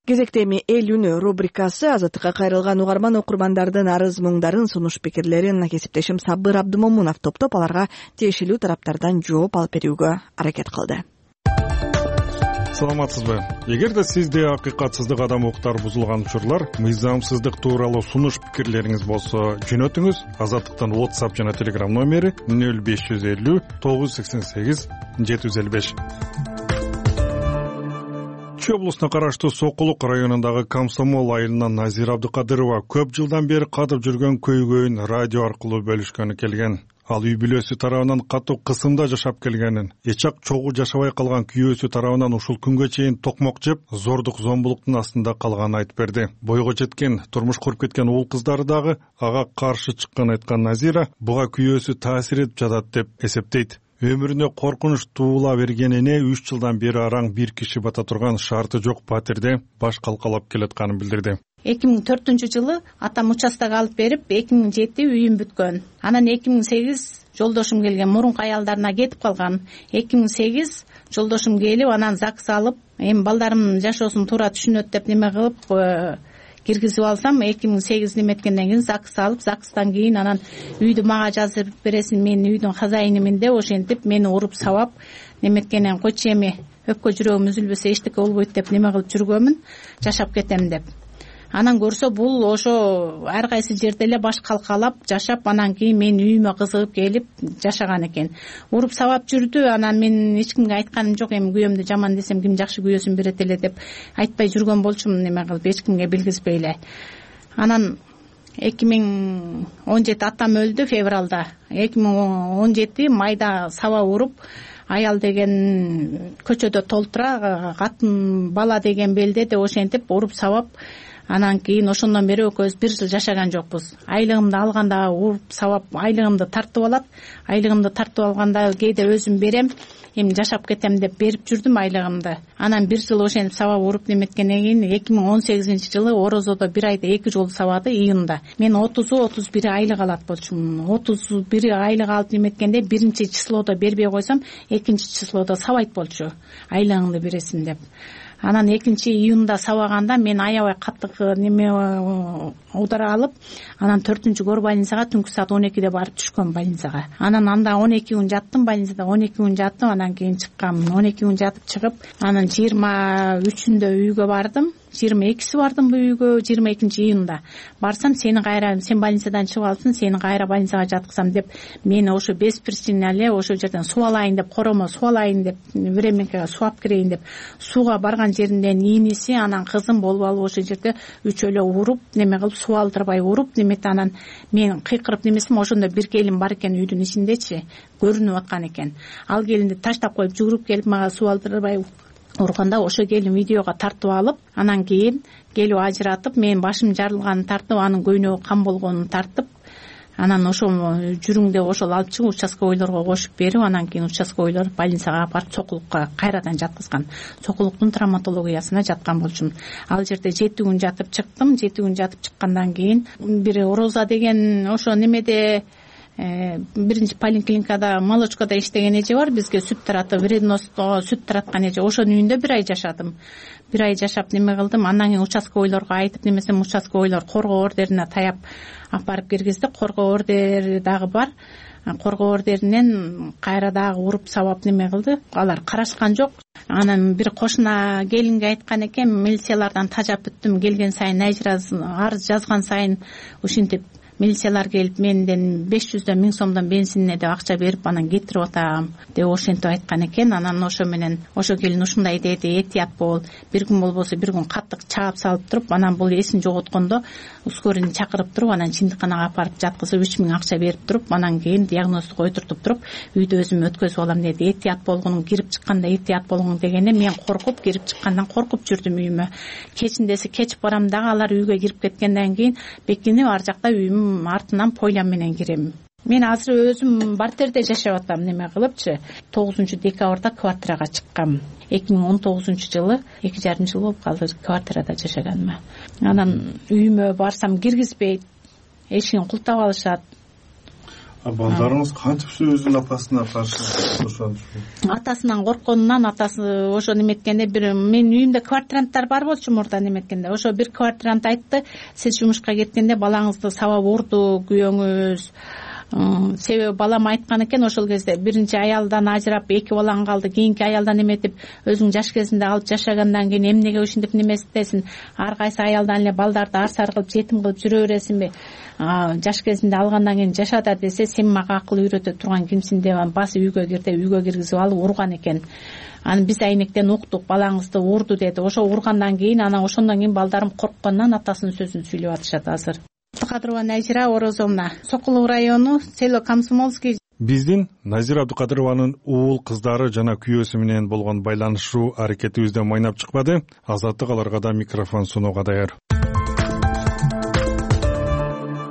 Кезекте эми эл үнү рубрикасы. Азаттыкка кайрылган угарман окурмандардын арыз муңдарын, сунуш пикирлерин кесиптешим Сабыр Абдымомунов топтоп, аларга тиешелүү тараптардан жооп алып берүүгө аракет кылды. Саламатсызбы? Эгерде сизде акыйкатсыздык, адам укуктары бузулган учурлар, мыйзамсыздык тууралуу сунуш пикирлериңиз болсо, жөнөтүңүз. Азаттыктын WhatsApp жана Telegram номери нөл беш жүз элүү тогуз жүз сексен сегиз жети жүз элүү беш. Чүй облусуна караштуу Сокулук районундагы Комсомол айылынан Назира Абдыкадырова көп жылдан бери катып жүргөн көйгөйүн радио аркылуу бөлүшкөнү келген. Ал үй бүлөсү тарабынан катуу кысымда жашап келгенин, эчак чогуу жашабай калган күйөөсү тарабынан ушул күнгө чейин токмок жеп, зордук зомбулуктун астында калганын айтып берди. Бойго жеткен, турмуш куруп кеткен уул кыздары дагы ага каршы чыкканын айткан Назира буга күйөөсү таасир этип жатат деп эсептейт. Өмүрүнө коркунуч туула бергенине үч жылдан бери араң бир киши бата турган шарты жок патерде баш калкалап келатканын билдирди. эки миң төртүнчү жылы атам участок алып берип, эки миң жети үйүм бүткөн. Анан эки миң сегиз жолдошум келген, мурунку аялдарына кетип калган. эки миң сегиз жолдошум келип, анан ЗАГС алып, эми балдарымдын жашоосун туура түшүнөт деп неме кылып киргизип алсам, эки миң сегиз неметкенден кийин ЗАГС алып, ЗАГСтан кийин анан үйдү мага жазып бересиң, мен үйдүн хозяинимин деп ошентип мени уруп сабап, неметкенен койчу эми өпкө жүрөгүм үзүлбөсө эчтеке болбойт деп неме кылып жүргөмүн, жашап кетем деп. Анан көрсө бул ошо ар кайсы жерде эле баш калкалап жашап, анан кийин мен үйүмө кызыгып келип жашаган экен. Уруп сабап жүрдү. Анан мен эч кимге айтканым жок, эми күйөөмдү жаман десем ким жакшы күйөөсүн берет эле деп айтпай жүргөн болчумун, неме кылып эч кимге билгизбей эле. Анан эки миң он жети атам өлдү февралда. эки миң он жети майда саба уруп, аял деген көчөдө толтура, катын бала деген белдеде, ошентип уруп сабап, анан кийин ошондон бери экөөбүз бир жыл жашаган жокпуз. Айлыгымды алганда уруп сабап, айлыгымды тартып алат. Айлыгымды тартып алганда кээде өзүм берем, эми жашап кетем деп берип жүрдүм айлыгымды. Анан бир жыл ошентип сабап уруп неметкенден кийин эки миң он сегизинчи жылы Орозодо бир айда эки жолу сабады, июнда. Мен отузу отуз бир айлык алат болчумун. отуз бир айлык алып неметкенде биринчи числодо бербей койсом, экинчи числодо сабайт болчу. Айлыгыңды бересиң деп. Анан экинчи июнда сабаганда мен аябай катык неме удара алып, анан төртүнчү кор больницага түнкү саат он экиде барып түшкөм больницага. Анан анда он эки күн жаттым больницада, он эки күн жаттым, анан кийин чыккам. он эки күн жатып чыгып, анан жыйырма үчүндө үйгө бардым. жыйырма экиси бардым бу үйгө, жыйырма экинчи июнда. Барсам, сени кайра, сен больницадан чыгып алыпсың, сени кайра больницага жаткызам деп, мени ошо без причины эле ошол жерден суу алайын деп, коромо суу алайын деп, временкага суу алып кирейин деп, сууга барган жеринде ниниси, анан кызым болуп алып ошол жерде үчөөлө уруп, неме кылып суу алдырбай уруп, немете анан мен кыйкырып немесем, ошондо бир келин бар экен үйдүн ичиндечи, көрүнүп аткан экен. Ал келинди таштап коюп жүгүрүп келип мага суу алдырбай урганда, ошо келин видеого тартып алып, анан кийин келип ажыратып, мен башым жарылганын тартып, анын көйнөгү кан болгонун тартып, анан ошо жүрүң деп ошол алып чыгып участковойлорго кошуп берип, анан кийин участковойлор больницага алып барып Сокулукка кайрадан жаткызган. Сокулуктун травматологиясына жаткан болчумун. Ал жерде жети күн жатып чыктым. жети күн жатып чыккандан кийин бир Роза деген ошо немеде биринчи поликлиникада молочкода иштеген эже бар, бизге сүт таратып, вредносто сүт тараткан эже. Ошонун үйүндө бир ай жашадым. Бир ай жашап неме кылдым. Андан кийин участковойлорго айтып, немесе участковойлор коргоо ордерине таяп алып барып киргизди. Коргоо ордери дагы бар. Коргоо ордеринен кайра дагы уруп сабап неме кылды. Алар карашкан жок. Анан бир кошуна келинге айткан экен, милициялардан тажап бүттүм, келген сайын арыз жазган сайын ушинтип милициялар келип менден беш жүздөн миң сомдон бензинине деп акча берип, анан кетирип атам деп ошентип айткан экен. Анан ошо менен ошо келин ушундай деди, этият бол, бир күн болбосо бир күн каттык чаап салып туруп, анан бул эсин жоготкондо ускорение чакырып туруп, анан чындыканага алып барып жаткызып үч миң акча берип туруп, анан кийин диагноздук ойтуртуп туруп, үйдө өзүм өткөзүп алам деди. Этият болгуну, кирип чыкканда этият болгуну дегенде мен коркуп, кирип чыккандан коркуп жүрдүм үйүмө. Кечиндеси кечип барам дагы, алар үйгө кирип кеткенден кийин бекинип ар жакта үйүм артынан пойлам менен кирем. Мен азыр өзүм бартерде жашап атам, неме кылыпчы. тогузунчу декабрда квартирага чыккам. эки миң он тогузунчу жылы эки жарым жыл болуп калды квартирада жашаганыма. Анан үйүмө барсам киргизбейт, эшигин култап алышат. А балдарыңыз кантип өзүнүн апасына каршы ошентип? Атасынан коркконунан, атасы ошо неметкенде, бир менин үйүмдө квартиранттар бар болчу мурда неметкенде. Ошо бир квартирант айтты, сиз жумушка кеткенде балаңызды сабап урду күйөөңүз. Себеби балам айткан экен, ошол кезде биринчи аялдан ажырап эки балаң калды, кийинки аялдан эметип өзүң жаш кезинде алып жашагандан кийин эмнеге ушинтип немеситесиң, ар кайсы аялдан эле балдарды арсар кылып жетим кылып жүрө бересиңби, жаш кезинде алгандан кийин жаша да десе, сен мага акыл үйрөтө турган кимсиң деп басып үйгө кир деп үйгө киргизип алып урган экен. Анан биз айнектен уктук, балаңызды урду деди. Ошо ургандан кийин, анан ошондон кийин балдарым корккондон атасынын сөзүн сүйлөп атышат азыр. Абдукадырова Назира Орозовна, Сокулук району, село Комсомольский. Биздин Назира Абдукадырованын уул кыздары жана күйөөсү менен болгон байланышуу аракетибизде майнап чыкпады. Азаттык аларга да микрофон сунууга даяр.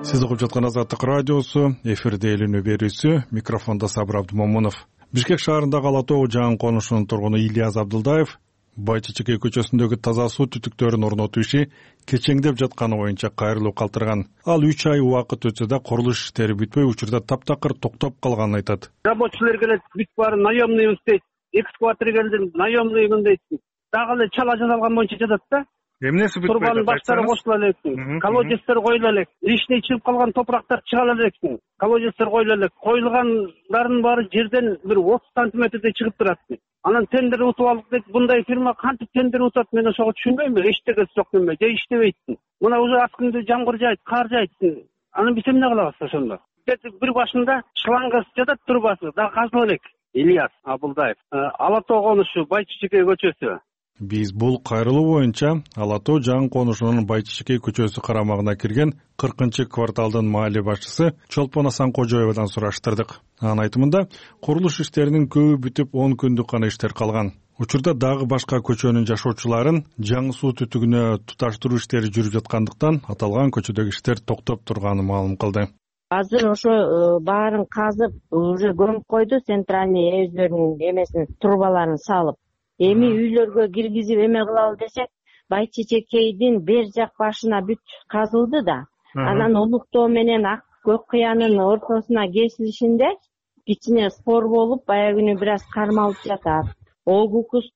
Сиз угуп жаткан Азаттык радиосу, эфирде элүүнү берүүсү, микрофондо Сабыр Абдумомунов. Бишкек шаарындагы Ала Тоо жаңы конушунун тургуну Ильяз Абдылдаев Байчичекей көчөсүндөгү таза суу түтүктөрүн орнотуу иши кечеңдеп жатканы боюнча кайрылуу калтырган. Ал үч ай убакыт өтсө да курулуш иштери бүтпөй, учурда таптакыр токтоп калганын айтат. Рабочилер келет, бүт баары наемный дейт. Экскаватор келди, наемный дейт. Дагы эле чала жасалган боюнча жатат да. Эмнеси бүтпөйт? Турбанын баштары кошула элек, колодецтер коюла элек, лишний чыгып калган топурактар чыга элек, колодецтер коюла элек. Коюлгандардын баары жерден бир отуз сантиметрдей чыгып турат. Анан тендер утуп алдык дейт. Мындай фирма кантип тендер утат, мен ошого түшүнбөйм. Эчтегеси жок неме, же иштебейт. Мына уже аз күндө жамгыр жайт, кар жайт. Анан биз эмне кылабыз ошондо? Бир башында шлангасы жатат, турбасы да казылып элек. Ильяс Абдылдаев, Ала Тоо конушу, Байчичекей көчөсү. Биз бул кайрылуу боюнча Ала Тоо жаңы конушунун Байчичекей көчөсү карамагына кирген кыркынчы кварталдын маале башчысы Чолпон Асан Кожоевадан сураштырдык. Анын айтымында, курулуш иштеринин көбү бүтүп он күндүк гана иштер калган. Учурда дагы башка көчөнүн жашоочуларын жаңы суу түтүгүнө туташтыруу иштери жүрүп жаткандыктан аталган көчөдөгү иштер токтоп турганын маалым кылды. Азыр ошо баарын казып, уже көмүп койду, центральный өздөрүнүн эмесин, трубаларын салып. Эми үйлөргө киргизип эме кылалы десек, Байчичекейдин бер жак башына бүт казылды да. Анан Улуктоо менен Ак Көк Кыянын ортосуна кесилишинде кичине спор болуп, баягы күнү бир аз кармалып жатат. ОГУКУС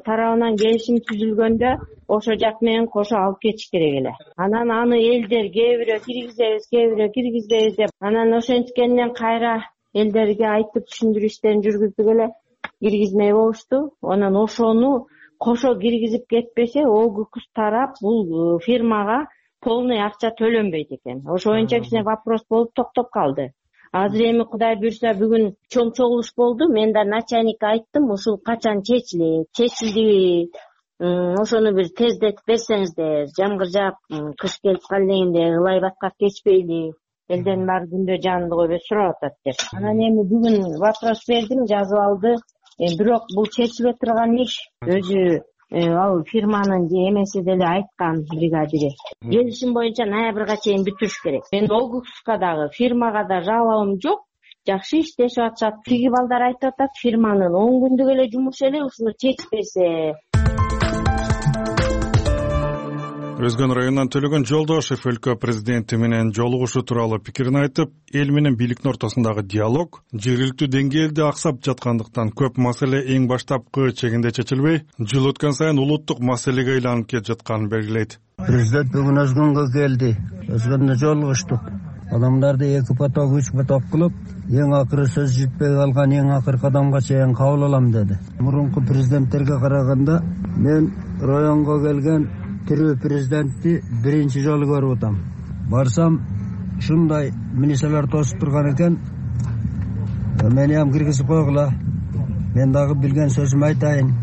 тарабынан келишим түзүлгөндө ошо жак менен кошо алып кетиш керек эле. Анан аны элдер кээ бирөө киргизебиз, кээ бирөө киргизбейбиз деп, анан ошенткенден кайра элдерге айтып түшүндүрүү иштерин жүргүздүк эле. Киргизмей болушту. Анан ошону кошо киргизип кетпесе, ОГУКУС тарап бул фирмага полный акча төлөнбөйт экен. Ошо боюнча кичине вопрос болуп токтоп калды. Азыр эми Кудай буйрса бүгүн чоң чогулуш болду. Мен да начальникке айттым, ушул качан чечилет, чечилди. Ошону бир тездетип берсеңиздер, жамгыр жаап, кыш келип калгенде ылай баткак кечпейли. Элден баары күндө жанында койбой сурап атат деп. Анан эми бүгүн вопрос бердим, жазып алды. Бирок бул чечиле турган иш. Өзү ал фирманын эмеси деле айткан бригадири. Келишим боюнча ноябрга чейин бүтүрүш керек. Мен ОГУКУСка дагы, фирмага да жалобум жок. Жакшы иштешип атышат. Тиги балдар айтып атат, фирманын он күндүк эле жумушу эле ушуну чечпесе. Өзгөн районунан Төлөгөн Жолдошев өлкө президенти менен жолугушуу тууралуу пикирин айтып, эл менен бийликтин ортосундагы диалог жергиликтүү деңгээлде аксап жаткандыктан көп маселе эң баштапкы чегинде чечилбей, жыл өткөн сайын улуттук маселеге айланып кетип жатканын белгилейт. Президент бүгүн Өзгөнгө келди. Өзгөндө жолугуштук. Адамдарды эки поток, үч поток кылып, эң акыры сөз жетпей калган эң акыркы адамга чейин кабыл алам деди. Мурунку президенттерге караганда мен районго келген тирүү президентти биринчи жолу көрүп атам. Барсам, ушундай милициялар тосуп турган экен. Мени ham киргизип койгула. Мен дагы билген сөзүмдү айтайын.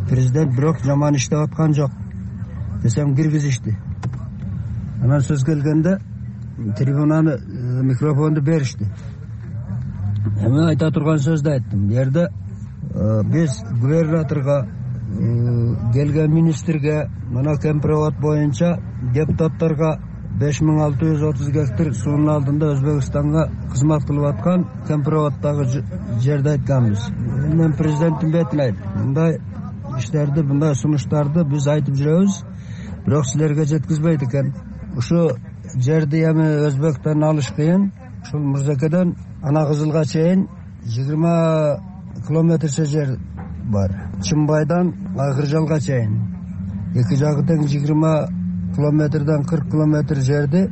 Президент бирок жаман иштеп аткан жок десем киргизишти. Анан сөз келгенде трибунаны, микрофонду беришти. Мен айта турган сөздү айттым. Бу жерде биз губернаторго, келген министрге, мына кемпировод боюнча депутаттарга беш миң алты жүз отуз гектар суунун алдында Өзбекстанга кызмат кылып аткан кемпироводдогу жерди айтканбыз. Мен президенттин бетине айттым. Мындай иштерди, мындай сунуштарды биз айтып жүрөбүз, бирок силерге жеткизбейт экен. Ушу жерди эми Өзбектен алыш кыйын. Ушул Мурзекеден Ана Кызылга чейин жыйырма километрче жер бар. Чымбайдан Айкыржалга чейин. Эки жагы тең жыйырма километрден кырк километр жерди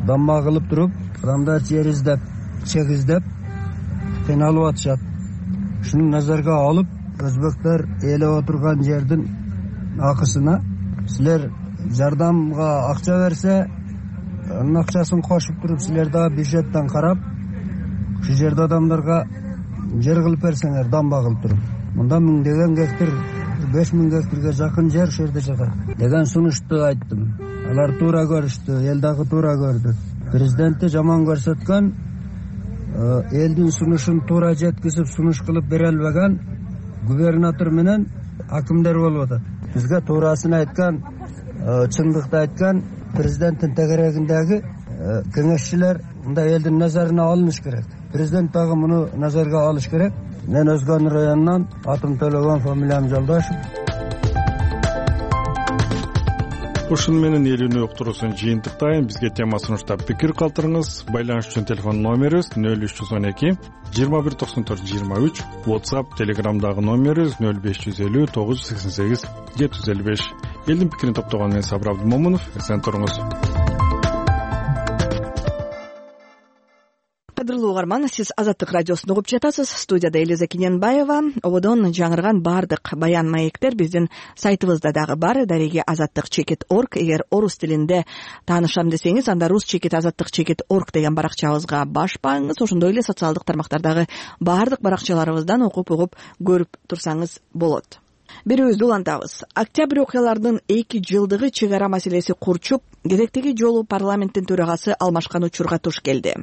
дамба кылып туруп, адамдар жер издеп, чек издеп кыйналып атышат. Ушуну назарга алып, өзбектер ээлеп отурган жердин акысына силер жардамга акча берсе, анын акчасын кошуп туруп, силер дагы бюджеттен карап, ушу жерде адамдарга жер кылып берсеңер, дамба кылып туруп. Мында миңдеген гектар, беш миң гектарга жакын жер ушул жерде жатат деген сунушту айттым. Алар туура көрүштү, эл дагы туура көрдү. Президентти жаман көрсөткөн, элдин сунушун туура жеткизип, сунуш кылып бере албаган губернатор менен акимдер болуп атат. Бизге туурасын айткан, чындыкты айткан президенттин тегерегиндеги кеңешчилер мындай элдин назарына алыныш керек. Президент дагы муну назарга алыш керек. Мен Өзгөн районунан атым Төлөгөн, фамилиям Жолдошев. Ушун менен элүүнү уктуруусун жыйынтыктайын. Бизге тема сунуштап пикир калтырыңыз. Байланыш үчүн телефон номерибиз нөл үч жүз он эки жыйырма бир токсон төрт жыйырма үч, WhatsApp, Telegramдагы номерибиз нөл беш жүз элүү тогуз жүз сексен сегиз жети жүз элүү беш. Элдин пикирин топтогон мен Сабыр Абдымомунов. Эсен туруңуз. Кадырлуу угарман, сиз Азаттык радиосун угуп жатасыз. Студияда Элиза Кененбаева. Ободон жаңырган баардык баян маектер биздин сайтыбызда дагы бар. Дареги азаттык чекит орг. Эгер орус тилинде таанышам десеңиз, анда рус чекит азаттык чекит орг деген баракчабызга баш бааңыз. Ошондой эле социалдык тармактардагы баардык баракчаларыбыздан окуп угуп көрүп турсаңыз болот. Бирөөбүздү улантабыз. Октябрь окуяларынын эки жылдыгы чек ара маселеси курчуп, кезектеги жолу парламенттин төрагасы алмашкан учурга туш келди.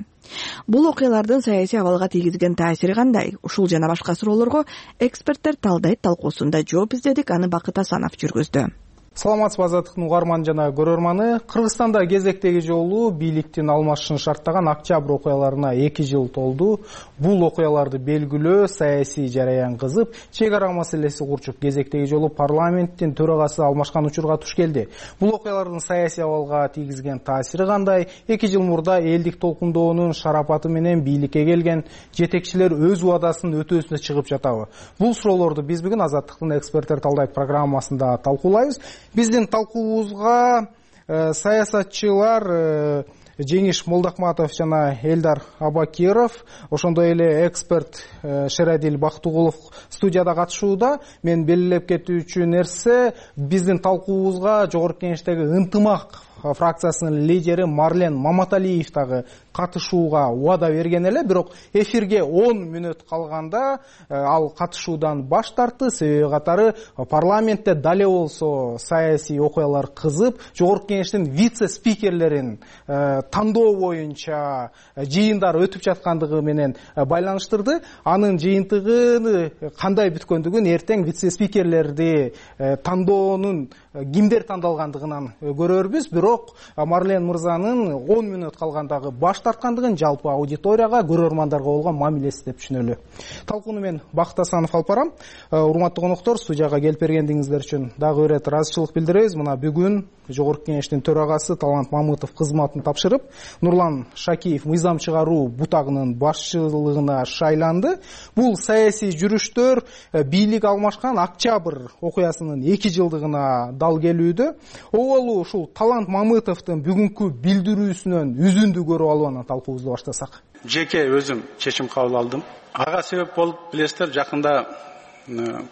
Бул окуялардын саясий абалга тийгизген таасири кандай? Ушул жана башка суроолорго эксперттер талдайт талкуусунда жооп издедик. Аны Бакыт Асанов жүргүздү. Саламатсызбы Азаттыктын угарман жана көрөрманы. Кыргызстанда кезектеги жолу бийликтин алмашышын шарттаган октябрь окуяларына эки жыл толду. Бул окуяларды белгилөө саясий жараян кызып, чек ара маселеси курчуп, кезектеги жолу парламенттин төрагасы алмашкан учурга туш келди. Бул окуялардын саясий абалга тийгизген таасири кандай? эки жыл мурда элдик толкундоонун шарапаты менен бийликке келген жетекчилер өз убадасын өтөөсүнө чыгып жатабы? Бул суроолорду биз бүгүн Азаттыктын эксперттер талдайт программасында талкуулайбыз. Биздин талкуубузга э, саясатчылар э, Жеңиш Молдакматов жана Элдар Абакиров, ошондой эле эксперт э, Шерадил Бактыгулов студияда катышууда. Мен белгилеп кетүүчү нерсе, биздин талкуубузга Жогорку Кеңештеги ынтымак фракциясынын лидери Марлен Маматалиев дагы катышууга убада берген эле, бирок эфирге он мүнөт калганда ал катышуудан баш тартты. Себеби катары парламентте дале болсо саясий окуялар кызып, Жогорку Кеңештин вице-спикерлерин тандоо боюнча жыйындар өтүп жаткандыгы менен байланыштырды. Анын жыйынтыгы кандай бүткөндүгүн эртең вице-спикерлерди тандоонун кимдер тандалгандыгынан көрөрбүз. Бирок Марлен мырзанын он мүнөт калгандагы баш тарткандыгын жалпы аудиторияга, көрөрмандарга болгон мамилеси деп түшүнөлү. Талкууну мен Бакыт Асанов алып барам. Урматтуу коноктор, студияга келип бергендиңиздер үчүн дагы бир ирет ыраазычылык билдиребиз. Мына бүгүн Жогорку Кеңештин төрагасы Талант Мамытов кызматын тапшырып, Нурлан Шакиев мыйзам чыгаруу бутагынын башчылыгына шайланды. Бул саясий жүрүштөр бийлик алмашкан октябрь окуясынын эки жылдыгына дал келүүдө. Оболу ушул Талант Мамытовдун бүгүнкү билдирүүсүнөн үзүндү көрүп алып анан талкуубузду баштасак. Жеке өзүм чечим кабыл алдым. Ага себеп болуп билесиздер, жакында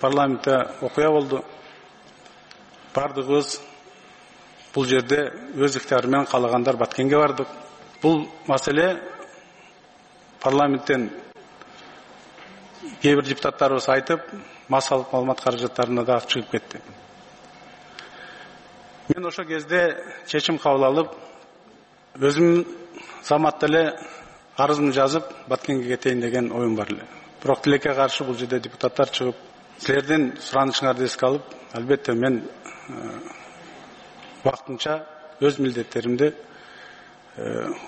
парламентте окуя болду. Бардыгыбыз бул жерде өз ыктыяры менен каалагандар Баткенге бардык. Бул маселе парламенттен кээ бир депутаттарыбыз айтып, массалык маалымат каражаттарына да чыгып кетти. Мен ошо кезде чечим кабыл алып, өзүм заматта эле арызымды жазып, Баткенге кетейин деген оюм бар эле. Бирок тилекке каршы бул жерде депутаттар чыгып, силердин суранышыңарды эске алып, албетте мен вактынча өз милдеттеримди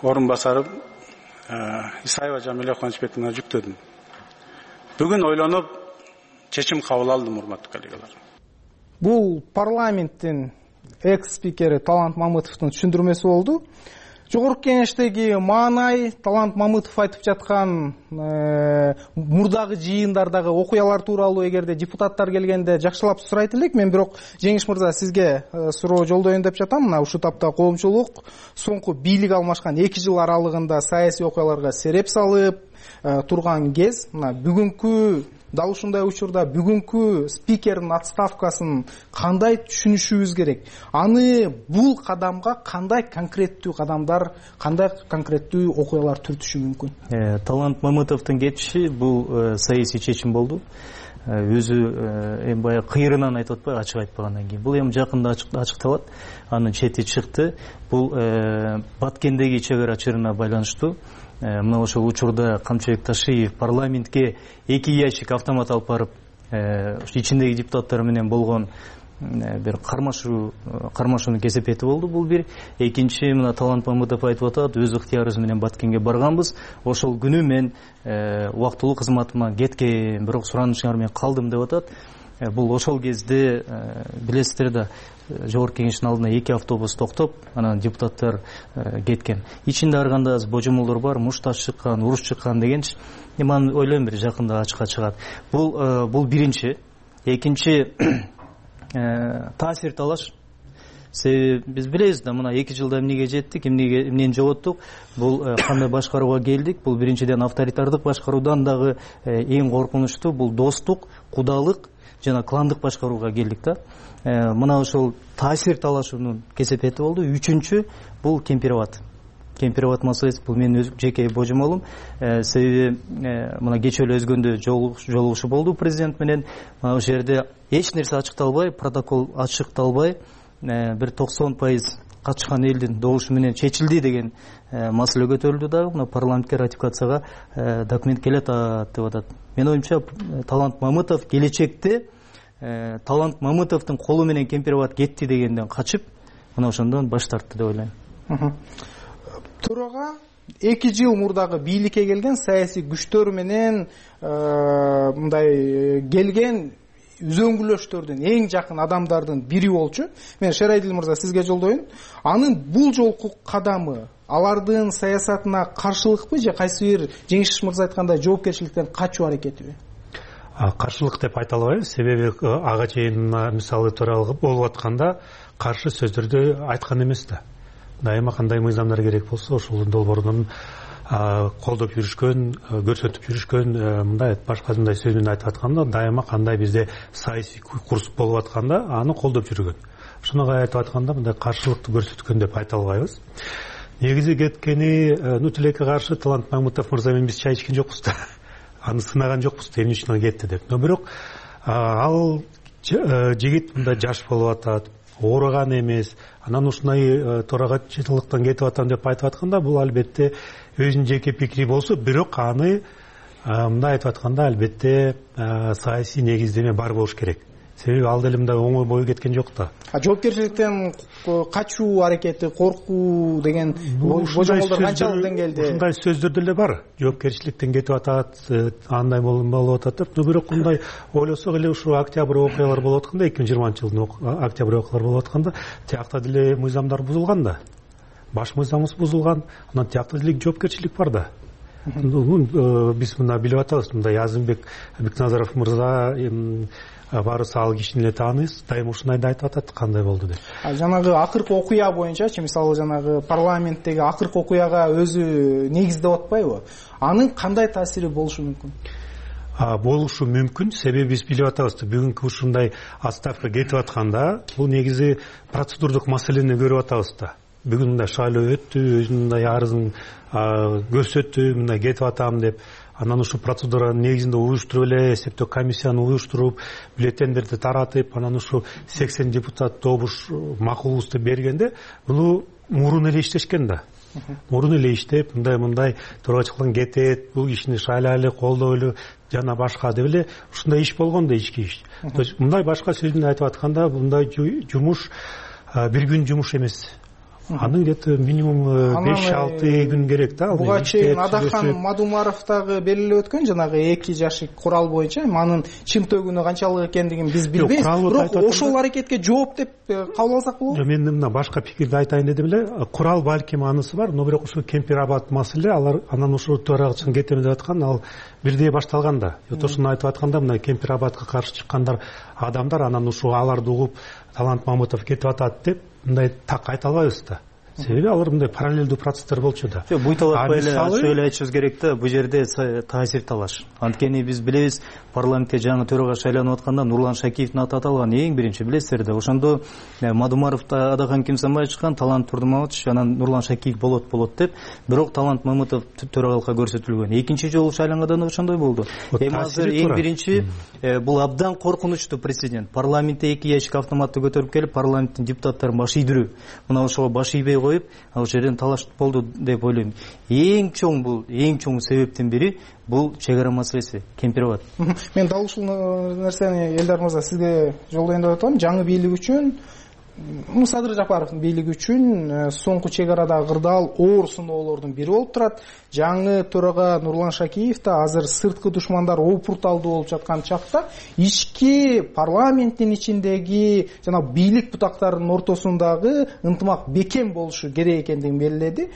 орун басарым Исаева Жамиля Кубанычбековна жүктөдүм. Бүгүн ойлонуп чечим кабыл алдым, урматтуу коллегалар. Бул парламенттин экс-спикери Талант Мамытовдун түшүндүрмөсү болду. Жогорку Кеңештеги маанай, Талант Мамытов айтып жаткан э, мурдагы жыйындардагы окуялар тууралуу эгерде депутаттар келгенде жакшылап сурайт элек. Мен бирок Жеңиш мырза сизге э, суроо жолдоюн деп жатам. Мына ушул тапта коомчулук соңку бийлик алмашкан эки жыл аралыгында саясий окуяларга сереп салып э, турган кез, мына бүгүнкү дал ушундай учурда бүгүнкү спикердин отставкасын кандай түшүнүшүбүз керек? Аны бул кадамга кандай конкреттүү кадамдар, кандай конкреттүү окуялар түртүшү мүмкүн? Э, Талант Мамытовдун кетиши бул э, саясий чечим болду. Э, өзү эми баягы кыйрынан айтып атпай, ачык айтпагандан кийин. Бул эми жакында ачыкталат. Анын чети чыкты. Бул э, Баткендеги чек ара чырына байланыштуу. Мына ошол учурда Камчыбек Ташиев парламентке эки ящик автомат алып барып, ичиндеги депутаттар менен болгон бир кармашуу кармашуунун кесепети болду. Бул бир. Экинчи, мына Талант Мамытов айтып атат, өз ыктыярыбыз менен Баткенге барганбыз. Ошол күнү мен убактылуу кызматыма кеткен, бирок суранышыңар менен калдым деп атат. Бул ошол кезде билесиздер да, Жогорку Кеңештин алдына эки автобус токтоп, анан депутаттар кеткен. Ичинде ар кандай божомолдор бар, мушташ чыккан, уруш чыккан дегенчи. Эми аны ойлойм бир жакында ачыкка чыгат. Бул бул биринчи. Экинчи, таасир талаш. Себеби биз билебиз да, мына эки жылда эмнеге жеттик, эмнеге эмнени жоготтук. Бул кандай башкарууга келдик? Бул биринчиден авторитардык башкаруудан дагы эң коркунучтуу бул достук, кудалык жана кландык башкарууга келдик да. Мына ошол таасир талашуунун кесепети болду. Үчүнчү бул кемпирабад. Кемпирабад маселеси бул менин өз жеке божомолум. Себеби мына кечээ эле өзгөндө жолугушуу болду президент менен. Мына ошол жерде эч нерсе ачыкталбай, протокол ачыкталбай, бир токсон пайыз катышкан элдин добушу менен чечилди деген маселе көтөрүлдү дагы. Мына парламентке ратификацияга документ келет деп атат. Мен оюмча Талант Мамытов келечекте Талант Мамытовдун колу менен кемпирабад кетти дегенден качып, мына ошондон баш тартты деп ойлойм. Төрага эки жыл мурдагы бийликке келген саясий күчтөр менен мындай келген үзөңгүлөштөрдүн эң жакын адамдардын бири болчу. Мен Шерайдил мырза сизге жолдоюн. Анын бул жолку кадамы алардын саясатына каршылыкпы же кайсы бир Жеңиш мырза айткандай жоопкерчиликтен качуу аракетиби? Каршылык деп айта албайм. Себеби ага чейин мисалы төралык болуп атканда каршы сөздөрдү айткан эмес да. Дайыма кандай мыйзамдар керек болсо ошол долбоордун колдоп жүрүшкөн, көрсөтүп жүрүшкөн, мындай башка мындай сөз менен айтып атканда, дайыма кандай бизде саясий курс болуп атканда аны колдоп жүргөн. Ошону айтып атканда мындай каршылыкты көрсөткөн деп айта албайбыз. Негизи кеткени, ну тилекке каршы Талант Мамытов мырза менен биз чай ичкен жокпуз да. Аны сынаган жокпуз, эмне үчүн ал кетти деп. Но бирок ал жигит мындай жаш болуп атат, ооруган эмес, анан ушундай төрагачылыктан кетип атам деп айтып атканда, бул албетте өзүнүн жеке пикири болсо, бирок аны мындай айтып атканда албетте саясий негиздеме бар болуш керек. себеби ал деле мындай оңой бою кеткен жок да. Жоопкерчиликтен качуу аракети, коркуу деген божомолдор канчалык деңгээлде? Ушундай сөздөр деле бар. Жоопкерчиликтен кетип атат, андай болуп атат деп. Бирок мындай ойлосок эле ушу октябрь окуялар болуп атканда, эки миң жыйырманчы жылдын октябрь окуялар болуп атканда, тиякта деле мыйзамдар бузулган да. Баш мыйзамыбыз бузулган, анан тиякта деле жоопкерчилик бар да. Биз мына билип атабыз, мындай Азымбек Бекназаров мырза баарыбыз ал кишини эле тааныйбыз, дайыма ушундайды айтып атат, кандай болду деп. Жанагы акыркы окуя боюнчачы, мисалы жанагы парламенттеги акыркы окуяга өзү негиздеп атпайбы? Анын кандай таасири болушу мүмкүн? Болушу мүмкүн, себеби биз билип атабыз, бүгүнкү ушундай отставка кетип атканда, бул негизи процедурдук маселени көрүп атабыз да. Бүгүн мындай шайлоо өттү, мындай арызын көрсөттү, мындай кетип атам деп, анан ушу процедуранын негизинде уюштуруп эле эсептөө комиссияны уюштуруп, бюллетендерди таратып, анан ушу сексен депутат добуш макулубузду бергенде, буну мурун эле иштешкен да. Мурун эле иштеп, мындай мындай төрагачылыктан кетет, бул кишини шайлайлы, колдойлу жана башка деп эле ушундай иш болгон да, ички иш. То есть мындай башка сөз менен айтып атканда, мындай жумуш бир күн жумуш эмес. Аны где-то минимум беш алты күн керек да. Буга чейин Адахан Мадумаровдагы белгилеп өткөн жанагы эки жашык курал боюнча анын чымтөгүнү канчалык экендигин биз билбейбиз. Бирок ошол аракетке жооп деп кабыл алсак болобу? Мен мына башка пикирди айтайын дедим эле. Курал балким анысы бар, но бирок ушу Кемпир-Абад маселе, алар анан ушу төрагачылыктан кетем деп аткан, ал бирдей башталган да. Ошону айтып атканда, мына Кемпир-Абадка каршы чыккандар адамдар анан ушу аларды угуп Талант Мамытов кетип атат деп мындай так айта албайбыз да. Себеби алар мындай параллелдүү процесстер болчу да. Жок, буйталатпай эле ачык эле айтышыбыз керек да, бул жерде таасир талаш. Анткени биз билебиз, парламентке жаңы төрага шайланып атканда Нурлан Шакиевдин аты аталган, эң биринчи билесиздер да. Ошондо Мадумаров да Адахан Кимсанбаев чыккан, Талант Турдумович, анан Нурлан Шакиев болот болот деп, бирок Талант Мамытов төрагалыкка көрсөтүлгөн. Экинчи жолу шайланганда да ошондой болду. Эми азыр эң биринчи бул абдан коркунучтуу прецедент. Парламентте эки ящик автоматты көтөрүп келип, парламенттин депутаттарын баш ийдирүү. Мына ошого баш ийбей коюп, ал жерден талаш болду деп ойлойм. Эң чоң бул, эң чоң себептин бири бул чек ара маселеси, Кемпир-Абад. Мен дал ушул нерсени Элдар мырза сизге жолдойм деп атам. Жаңы бийлик үчүн, Садыр Жапаровдун бийлиги үчүн соңку чек арадагы кырдаал оор сыноолордун бири болуп турат. Жаңы төрага Нурлан Шакиев да азыр сырткы душмандар опурталдуу болуп жаткан чакта ички парламенттин ичиндеги жана бийлик бутактарынын ортосундагы ынтымак бекем болушу керек экендигин белгиледи.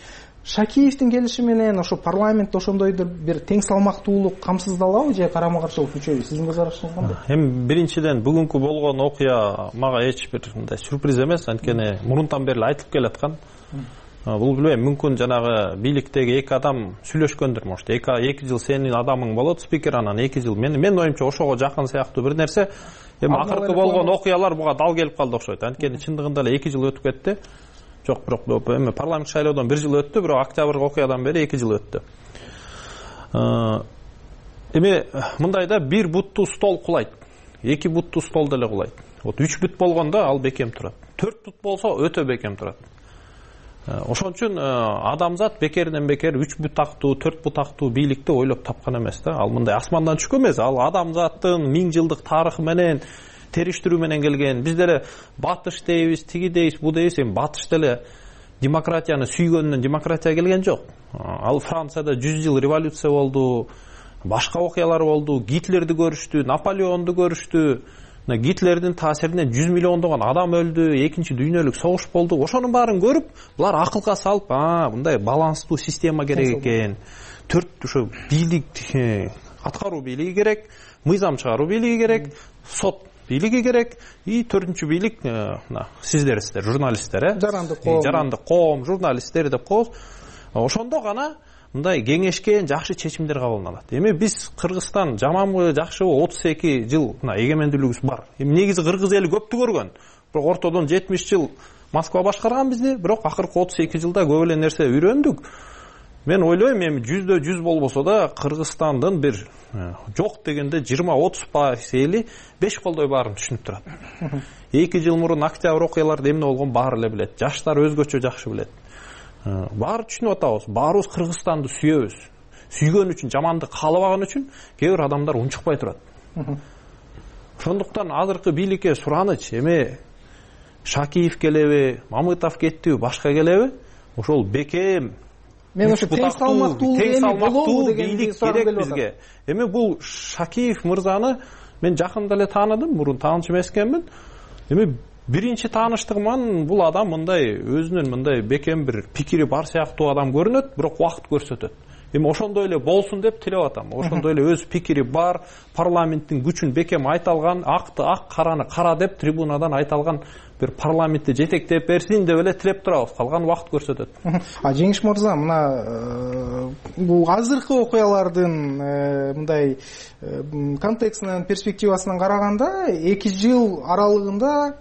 Шакиевдин келиши менен ошо парламентте ошондойдур бир тең салмактуулук камсыздалабы же карама каршылык күчөйбү? Сиздин көз карашыңыз кандай? Эми биринчиден бүгүнкү болгон окуя мага эч бир мындай сюрприз эмес, анткени мурунтан бери айтылып келаткан. Бул билбейм, мүмкүн жанагы бийликтеги эки адам сүйлөшкөндүр, может. эки жыл сенин адамың болот, спикер, анан эки жыл мен мен оюмча ошого жакын сыяктуу бир нерсе. Эми акыркы болгон окуялар буга дал келип калды окшойт. Анткени чындыгында эле эки жыл өтүп кетти. Жок, бирок эми парламент шайлоодон бир жыл өттү, бирок октябрь окуядан бери эки жыл өттү. Эми мындайда бир буттуу стол кулайт, эки буттуу стол деле кулайт. Вот үч бут болгондо ал бекем турат. төрт бут болсо өтө бекем турат. Ошон үчүн адамзат бекерден бекер үч бутактуу, төрт бутактуу бийликти ойлоп тапкан эмес да. Ал мындай асмандан түшкөн эмес, ал адамзаттын миң жылдык тарыхы менен териштирүү менен келген. Биз деле батыш дейбиз, тиги дейбиз, бу дейбиз. Эми батыш деле демократияны сүйгөндөн демократия келген жок. Ал Францияда жүз жыл революция болду, башка окуялар болду, Гитлерди көрүштү, Наполеонду көрүштү. Гитлердин таасиринен жүз миллиондогон адам өлдү, экинчи дүйнөлүк согуш болду. Ошонун баарын көрүп, булар акылга салып, а, мындай баланстуу система керек экен. Төрт ошо бийлик, аткаруу бийлиги керек, мыйзам чыгаруу бийлиги керек, сот бийлиги керек, и төртүнчү бийлик мына сиздерсиздер, журналисттер, э? Жарандык коом. Жарандык коом, журналисттер деп коебуз. Ошондо гана мындай кеңешкен жакшы чечимдер кабылданат. Эми биз Кыргызстан жаманбы, жакшыбы, отуз эки жыл мына эгемендүүлүгүбүз бар. Эми негизи кыргыз эли көптү көргөн. Бирок ортодон жетимиш жыл Москва башкарган бизди, бирок акыркы отуз эки жылда көп эле нерсе үйрөндүк. Мен ойлойм, эми жүздө жүз болбосо да Кыргызстандын бир жок дегенде жыйырма отуз пайыз эли беш колдой баарын түшүнүп турат. эки жыл мурун октябрь окуяларда эмне болгон баары эле билет. Жаштар өзгөчө жакшы билет. Баары түшүнүп атабыз. Баарыбыз Кыргызстанды сүйөбүз. Сүйгөн үчүн, жамандык каалабаган үчүн кээ бир адамдар унчукпай турат. Ошондуктан азыркы бийликке сураныч эме Шакиев келеби, Мамытов кеттиби, башка келеби, ошол бекем мен ошо тең салмактуулук эми болобу деген бийлик керек бизге. Эми бул Шакиев мырзаны мен жакында эле тааныдым, мурун тааныш эмес экенмин. Эми биринчи тааныштыгыман бул адам мындай өзүнүн мындай бекем бир пикири бар сыяктуу адам көрүнөт, бирок убакыт көрсөтөт. Эми ошондой эле болсун деп тилеп атам. Ошондой эле өз пикири бар, парламенттин күчүн бекем айта алган, акты ак, караны кара деп трибунадан айта алган бир парламентти жетектеп берсин деп эле тилеп турабыз. Калган убакыт көрсөтөт. А Жеңиш мырза, мына бул азыркы окуялардын мындай контекстинен, перспективасынан караганда эки жыл аралыгында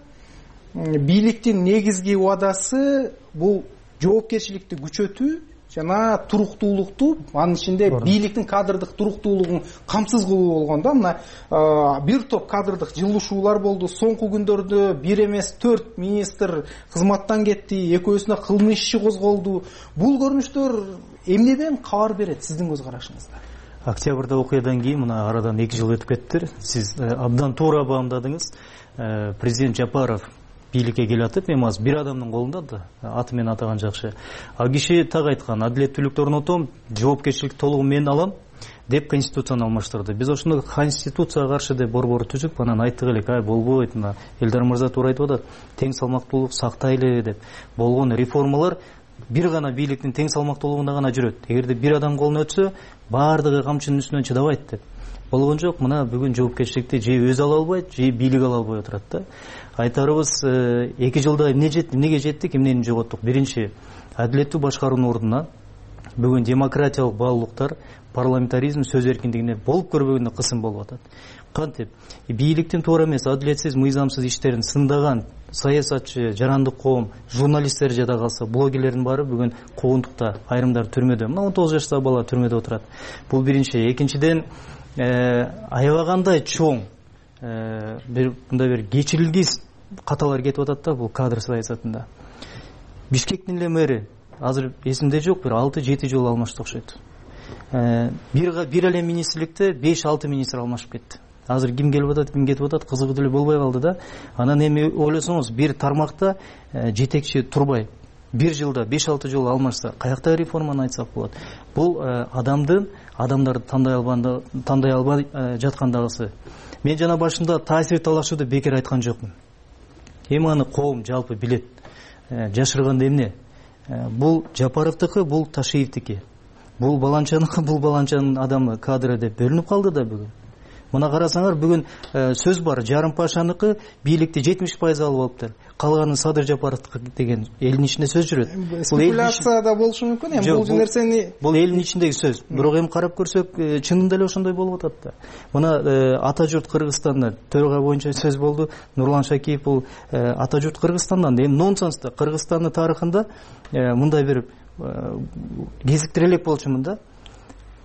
бийликтин негизги убадасы бул жоопкерчиликти күчөтүү жана туруктуулукту, анын ичинде бийликтин кадрдык туруктуулугун камсыз кылуу болгон да. Мына бир топ кадрдык жылышуулар болду. Соңку күндөрдө бир эмес төрт министр кызматтан кетти, экөөсүнө кылмыш иши козголду. Бул көрүнүштөр эмнеден кабар берет сиздин көз карашыңызда? Октябрда окуядан кийин мына арадан эки жыл өтүп кетти. Сиз абдан туура баамдадыңыз. Президент Жапаров бийликке келатып, эми азыр бир адамдын колунда да, аты менен атаган жакшы. Ал киши так айткан, адилеттүүлүктү орнотом, жоопкерчиликти толугу мен алам деп конституцияны алмаштырды. Биз ошондо конституцияга каршы деп борбор түзүп, анан айттык элек, ай болбойт, мына Элдар мырза туура айтып атат, тең салмактуулук сактайлы деп. Болгон реформалар бир гана бийликтин тең салмактуулугунда гана жүрөт. Эгерде бир адам колуна өтсө, баардыгы камчынын үстүнөн чыдабайт деп. Болгон жок, мына бүгүн жоопкерчиликти же өзү ала албайт, же бийлик ала албай отурат да. Айтарыбыз, эки жылда эмне жетти, эмнеге жеттик, эмнени жоготтук? Биринчи, адилеттүү башкаруунун ордуна бүгүн демократиялык баалуулуктар, парламентаризм, сөз эркиндигине болуп көрбөгөнүнө кысым болуп атат. Кантип бийликтин туура эмес, адилетсиз, мыйзамсыз иштерин сындаган саясатчы, жарандык коом, журналисттер жада калса, блогерлердин баары бүгүн куугунтукта, айрымдары түрмөдө. Мына он тогуз жаштагы бала түрмөдө отурат. Бул биринчи. Экинчиден, аябагандай чоң бир мындай бир кечирилгис каталар кетип атат да бул кадр саясатында. Бишкектин эле мэри азыр эсимде жок, бир алты жети жолу алмашты окшойт. Бир бир эле министрликте беш алты министр алмашып кетти. Азыр ким келип атат, ким кетип атат, кызыгы деле болбой калды да. Анан эми ойлосоңуз, бир тармакта жетекчи турбай бир жылда беш алты жолу алмашса, каякта реформаны айтсак болот? Бул адамдын адамдарды тандай албай тандай албай жаткандагысы. Мен жана башында таасир талашууду бекер айткан жокмун. Эми аны коом жалпы билет. Жашырганда эмне? Бул Жапаровдуку, бул Ташиевдики. Бул баланчаныкы, бул баланчанын адамы, кадры деп бөлүнүп калды да бүгүн. Мына карасаңар, бүгүн сөз бар, жарым пашаныкы бийликти жетимиш пайыз алып алыптыр. Калганын Садыр Жапаровдуку деген элдин ичинде сөз жүрөт. Спекуляция да болушу мүмкүн, эми бул нерсени бул элдин ичиндеги сөз. Бирок эми карап көрсөк, чынында эле ошондой болуп атат да. Мына ата журт Кыргызстанда төрага боюнча сөз болду. Нурлан Шакиев бул ата журт Кыргызстандан. Эми нонсенс да. Кыргызстандын тарыхында мындай бир кезиктирелек болчумун да.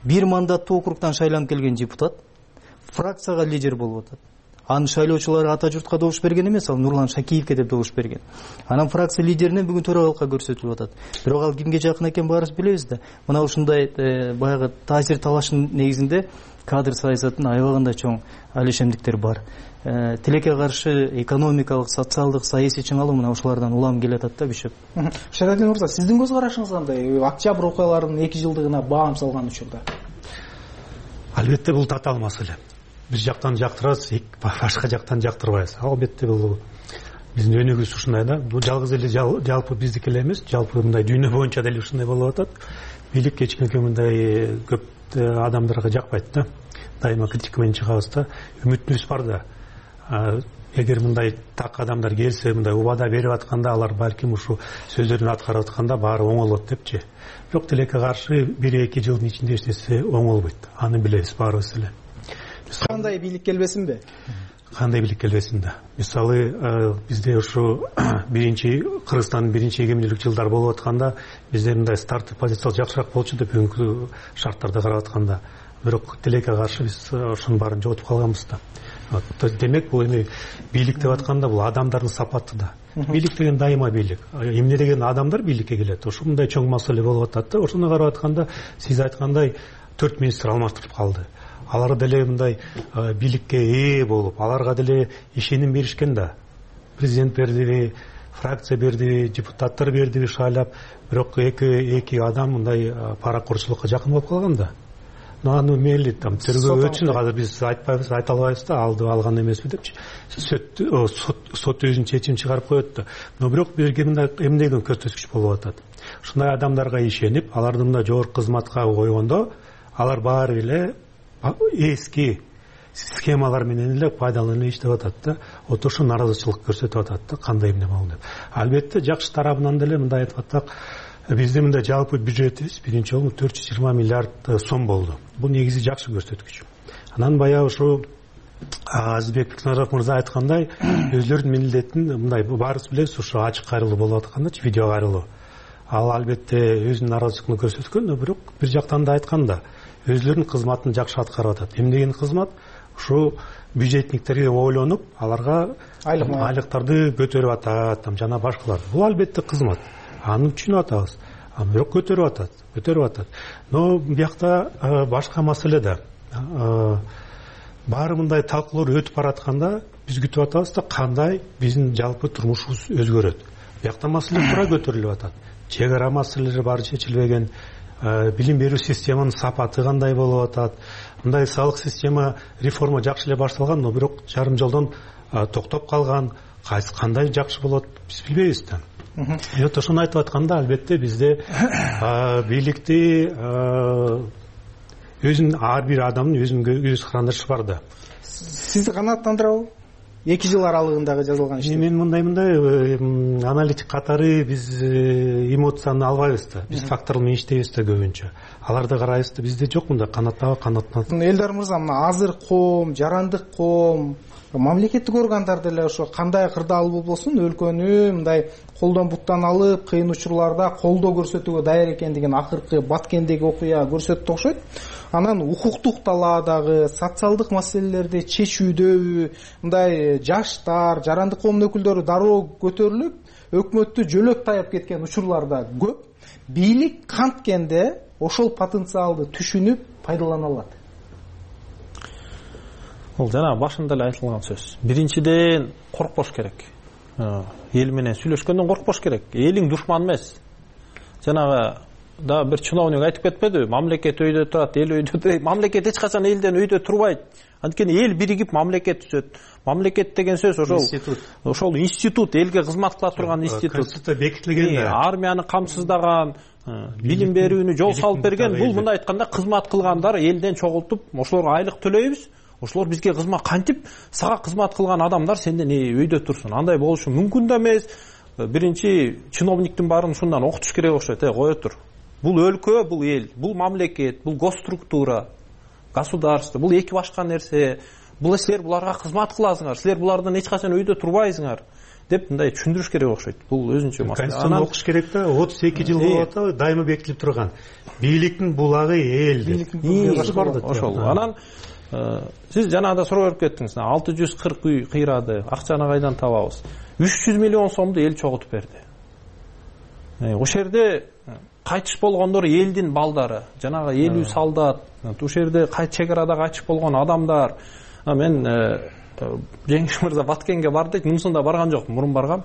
Бир мандаттуу округдан шайланып келген депутат фракцияга лидер болуп атат. Анын шайлоочулары ата журтка добуш берген эмес, ал Нурлан Шакиевке деп добуш берген. Анан фракция лидеринен бүгүн төрагалыкка көрсөтүлүп атат. Бирок ал кимге жакын экен баарыбыз билебиз да. Мына ушундай баягы таасир талаштын негизинде кадр саясатынын аябагандай чоң алишемдиктер бар. Тилекке каршы экономикалык, социалдык, саясий чыңалуу мына ушулардан улам келатат да бишеп. Шарадин мырза, сиздин көз карашыңыз кандай? Октябрь окуяларынын эки жылдыгына баам салган учурда. Албетте бул татаал маселе. Биз жактан жактырабыз, башка жактан жактырбайбыз. Албетте бул биздин өнүгүүбүз ушундай да. Бул жалгыз эле жалпы биздики эле эмес, жалпы мындай дүйнө боюнча деле ушундай болуп атат. Бийлик кечинекей мындай көп адамдарга жакпайт да. Дайыма критика менен чыгабыз да. Үмүтүбүз бар да. Эгер мындай так адамдар келсе, мындай убада берип атканда, алар балким ушу сөздөрүн аткарып атканда баары оңолот депчи. Бирок тилекке каршы бир эки жылдын ичинде эч нерсе оңолбойт. Аны билебиз баарыбыз эле. Кандай бийлик келбесинби? Кандай бийлик келбесин да. Мисалы, бизде ушу биринчи Кыргызстандын биринчи эгемендүүлүк жылдары болуп атканда, бизде мындай старттык позиция жакшыраак болчу деп бүгүнкү шарттарды карап атканда. Бирок тилекке каршы биз ошонун баарын жоготуп калганбыз да. Демек, бул эми бийлик деп атканда бул адамдардын сапаты да. Бийлик деген дайыма бийлик. Эмне деген адамдар бийликке келет. Ушундай чоң маселе болуп атат да. Ошону карап атканда, сиз айткандай төрт министр алмаштырып калды. алар деле мындай бийликке ээ болуп, аларга деле ишеним беришкен да. Президент бердиби, фракция бердиби, депутаттар бердиби шайлап, бирок эки эки адам мындай паракурчулукка жакын болуп калган да. Аны мейли там тергөө өчүн азыр биз айтпайбыз, айта албайбыз да, алды алган эмеспи депчи. Сот өзүнүн чечим чыгарып коет да. Но бирок бизге мындай эмнеден көрсөткүч болуп атат. Ушундай адамдарга ишенип, аларды мындай жогорку кызматка койгондо, алар баары эле эски схемалар менен эле пайдаланып иштеп атат да. Вот ошо нааразычылык көрсөтүп атат да, кандай эмне болду деп. Албетте жакшы тарабынан деле мындай айтып атсак, биздин мындай жалпы бюджетибиз биринчи жолу төрт жүз жыйырма миллиард сом болду. Бул негизи жакшы көрсөткүч. Анан баягы ушу Азизбек Бекназаров мырза айткандай, өзлөрүнүн милдетин мындай баарыбыз билебиз, ушу ачык кайрылуу болуп атканда, видео кайрылуу. Ал албетте өзүнүн нааразычылыгын көрсөткөн, бирок бир жактан да айтканда, өзлөрүнүн кызматын жакшы аткарып атат. Эмнеген кызмат? Ушу бюджетниктерге ойлонуп, аларга айлыктарды көтөрүп атат, там жана башкалар. Бул албетте кызмат. Аны түшүнүп атабыз. Бирок көтөрүп атат, көтөрүп атат. Но биякта башка маселе да. Баары мындай талкуулар өтүп баратканда биз күтүп атабыз да, кандай биздин жалпы турмушубуз өзгөрөт. Биякта маселе туура көтөрүлүп атат. Чек ара маселелери баары чечилбеген, билим берүү системанын сапаты кандай болуп атат. Мындай салык система реформа жакшы эле башталган, но бирок жарым жолдон токтоп калган, кайсы кандай жакшы болот биз билбейбиз да. Вот ошону айтып атканда, албетте бизде бийликти өзүнүн ар бир адамдын өзүнүн көз карандашы бар да. Сизди канааттандырабы? эки жыл аралыгындагы жазылган ишти. Мен мындай мындай аналитик катары биз эмоцияны албайбыз да. Биз факторлор менен иштейбиз да көбүнчө. Аларды карайбыз да, бизде жок мындай канаттагы канаттан. Элдар мырза, мына азыр коом, жарандык коом, мамлекеттик органдар деле ошо кандай кырдаал болсун өлкөнү мындай колдон буттан алып, кыйын учурларда колдоо көрсөтүүгө даяр экендигин акыркы Баткендеги окуя көрсөттү окшойт. Анан укуктук талаадагы, социалдык маселелерди чечүүдө мындай жаштар, жарандык коомдун өкүлдөрү дароо көтөрүлүп, өкмөттү жөлөп таяп кеткен учурларда көп. Бийлик канткенде ошол потенциалды түшүнүп пайдалана алат. Ол жана башында эле айтылган сөз. Биринчиден коркпош керек. Эл менен сүйлөшкөндөн коркпош керек. Элиң душман эмес. Жанагы да бир чиновник айтып кетпеди, мамлекет өйдө турат, эл өйдө турат. Мамлекет эч качан элден өйдө турбайт. Анткени эл биригип мамлекет түзөт. Мамлекет деген сөз ошол ошол институт, элге кызмат кыла турган институт. Конституция бекитилген да. Армияны камсыздаган, билим берүүнү жол салып берген. Бул мындай айтканда кызмат кылгандар элден чогултуп, ошолорго айлык төлөйбүз. Ошолор бизге кызмат кантип сага кызмат кылган адамдар сенден өйдө турсун. Андай болушу мүмкүн да эмес. Биринчи чиновниктин баарын ушундан окутуш керек окшойт. Э, кое тур. Бул өлкө, бул эл, бул мамлекет, бул госструктура, государство, бул эки башка нерсе. Бул силер буларга кызмат кыласыңар, силер булардан эч качан өйдө турбайсыңар деп мындай түшүндүрүш керек окшойт. Бул өзүнчө маселе. Конституцияны окуш керек да, отуз эки жыл болуп атат, дайыма бекитилип турган. Бийликтин булагы эл деп. Ошол. Анан сиз жанагыда суроо берип кеттиңиз. алты жүз кырк үй кыйрады, акчаны кайдан табабыз? үч жүз миллион сомду эл чогултуп берди. Ошол жерде кайтыш болгондор элдин балдары, жанагы элүү солдат, ошол жерде чек арада кайтыш болгон адамдар. Мен Жеңиш мырза Баткенге бар дейт, мунусунда барган жокмун, мурун баргам.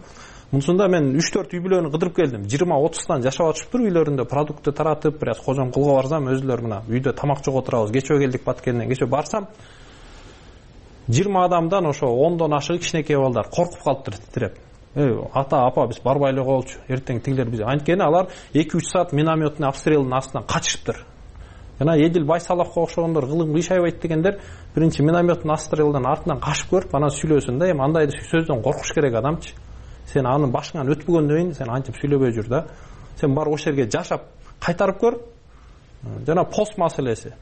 Мунусунда мен үч төрт үй бүлөнү кыдырып келдим. жыйырма отуздан жашап атышыптыр үйлөрүндө, продукты таратып, бир аз кожом кылга барсам, өзүлөр мына үйдө тамак жок отурабыз. Кечөө келдик Баткенден, кечөө барсам жыйырма адамдан ошо ондон ашык кичинекей балдар коркуп калыптыр, титиреп. Эй, ата, апа, биз барбай эле коелучу. Эртең тигилер биз. Анткени алар эки үч саат минометный обстрелдин астынан качышыптыр. Жана Эдил Байсаловго окшогондор, кылым кыйшайбайт дегендер биринчи минометный обстрелдин артынан качып көрүп, анан сүйлөсүн да. Эми андай сөздөн коркуш керек адамчы. Сен анын башыңан өтпөгөндөн кийин сен антип сүйлөбөй жүр да. Сен бар ошол жерге жашап кайтарып көр. Жана пост маселеси.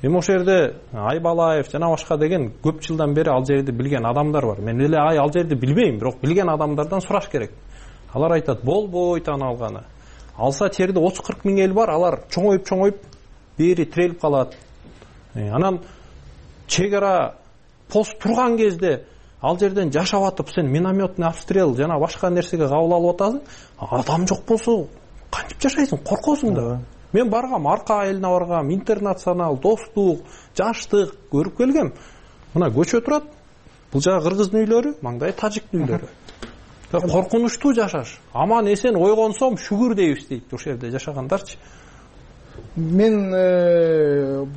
Эми ошол жерде Айбалаев жана башка деген көп жылдан бери ал жерди билген адамдар бар. Мен эле ай ал жерди билбейм, бирок билген адамдардан сураш керек. Алар айтат, болбойт аны алганы. Алса жерде отуз кырк миң эл бар, алар чоңоюп-чоңоюп бери тирелип калат. Анан чек ара пост турган кезде ал жерден жашап атып сен минометный обстрел жана башка нерсеге кабыл алып атасың. Адам жок болсо кантип жашайсың? Коркосуң да. мен баргам, арка айылына баргам, интернационал, достук, жаштык көрүп келгем. Мына көчө турат. Бул жагы кыргыздын үйлөрү, маңдай тажиктин үйлөрү. Коркунучтуу жашаш. Аман эсен ойгонсом шүгүр дейбиз дейт ошол жерде жашагандарчы. Мен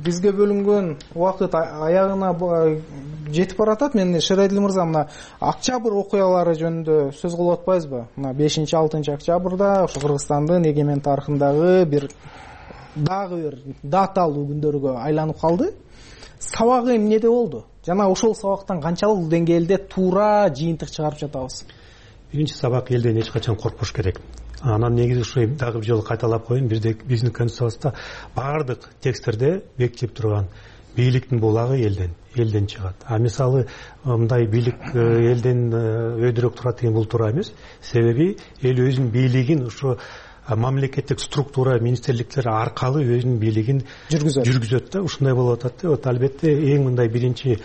бизге бөлүнгөн убакыт аягына жетип баратат. Мен Шырайдил мырза, мына октябрь окуялары жөнүндө сөз кылып атпайбызбы? Мына бешинчи алтынчы октябрда ошо Кыргызстандын эгемен тарыхындагы бир дагы бир даталуу күндөргө айланып калды. Сабагы эмнеде болду? Жана ошол сабактан канчалык деңгээлде туура жыйынтык чыгарып жатабыз? Биринчи сабак элден эч качан коркпош керек. Анан негизи ушу дагы бир жолу кайталап коеюн, биздин конституциябызда баардык тексттерде бекитип турган бийликтин булагы элден, элден чыгат. А мисалы мындай бийлик элден өйдөрөөк турат деген бул туура эмес. Себеби эл өзүнүн бийлигин ушу мамлекеттик структура, министрликтер аркылуу өзүнүн бийлигин жүргүзөт. Жүргүзөт да, ушундай болуп атат. Вот албетте эң мындай биринчи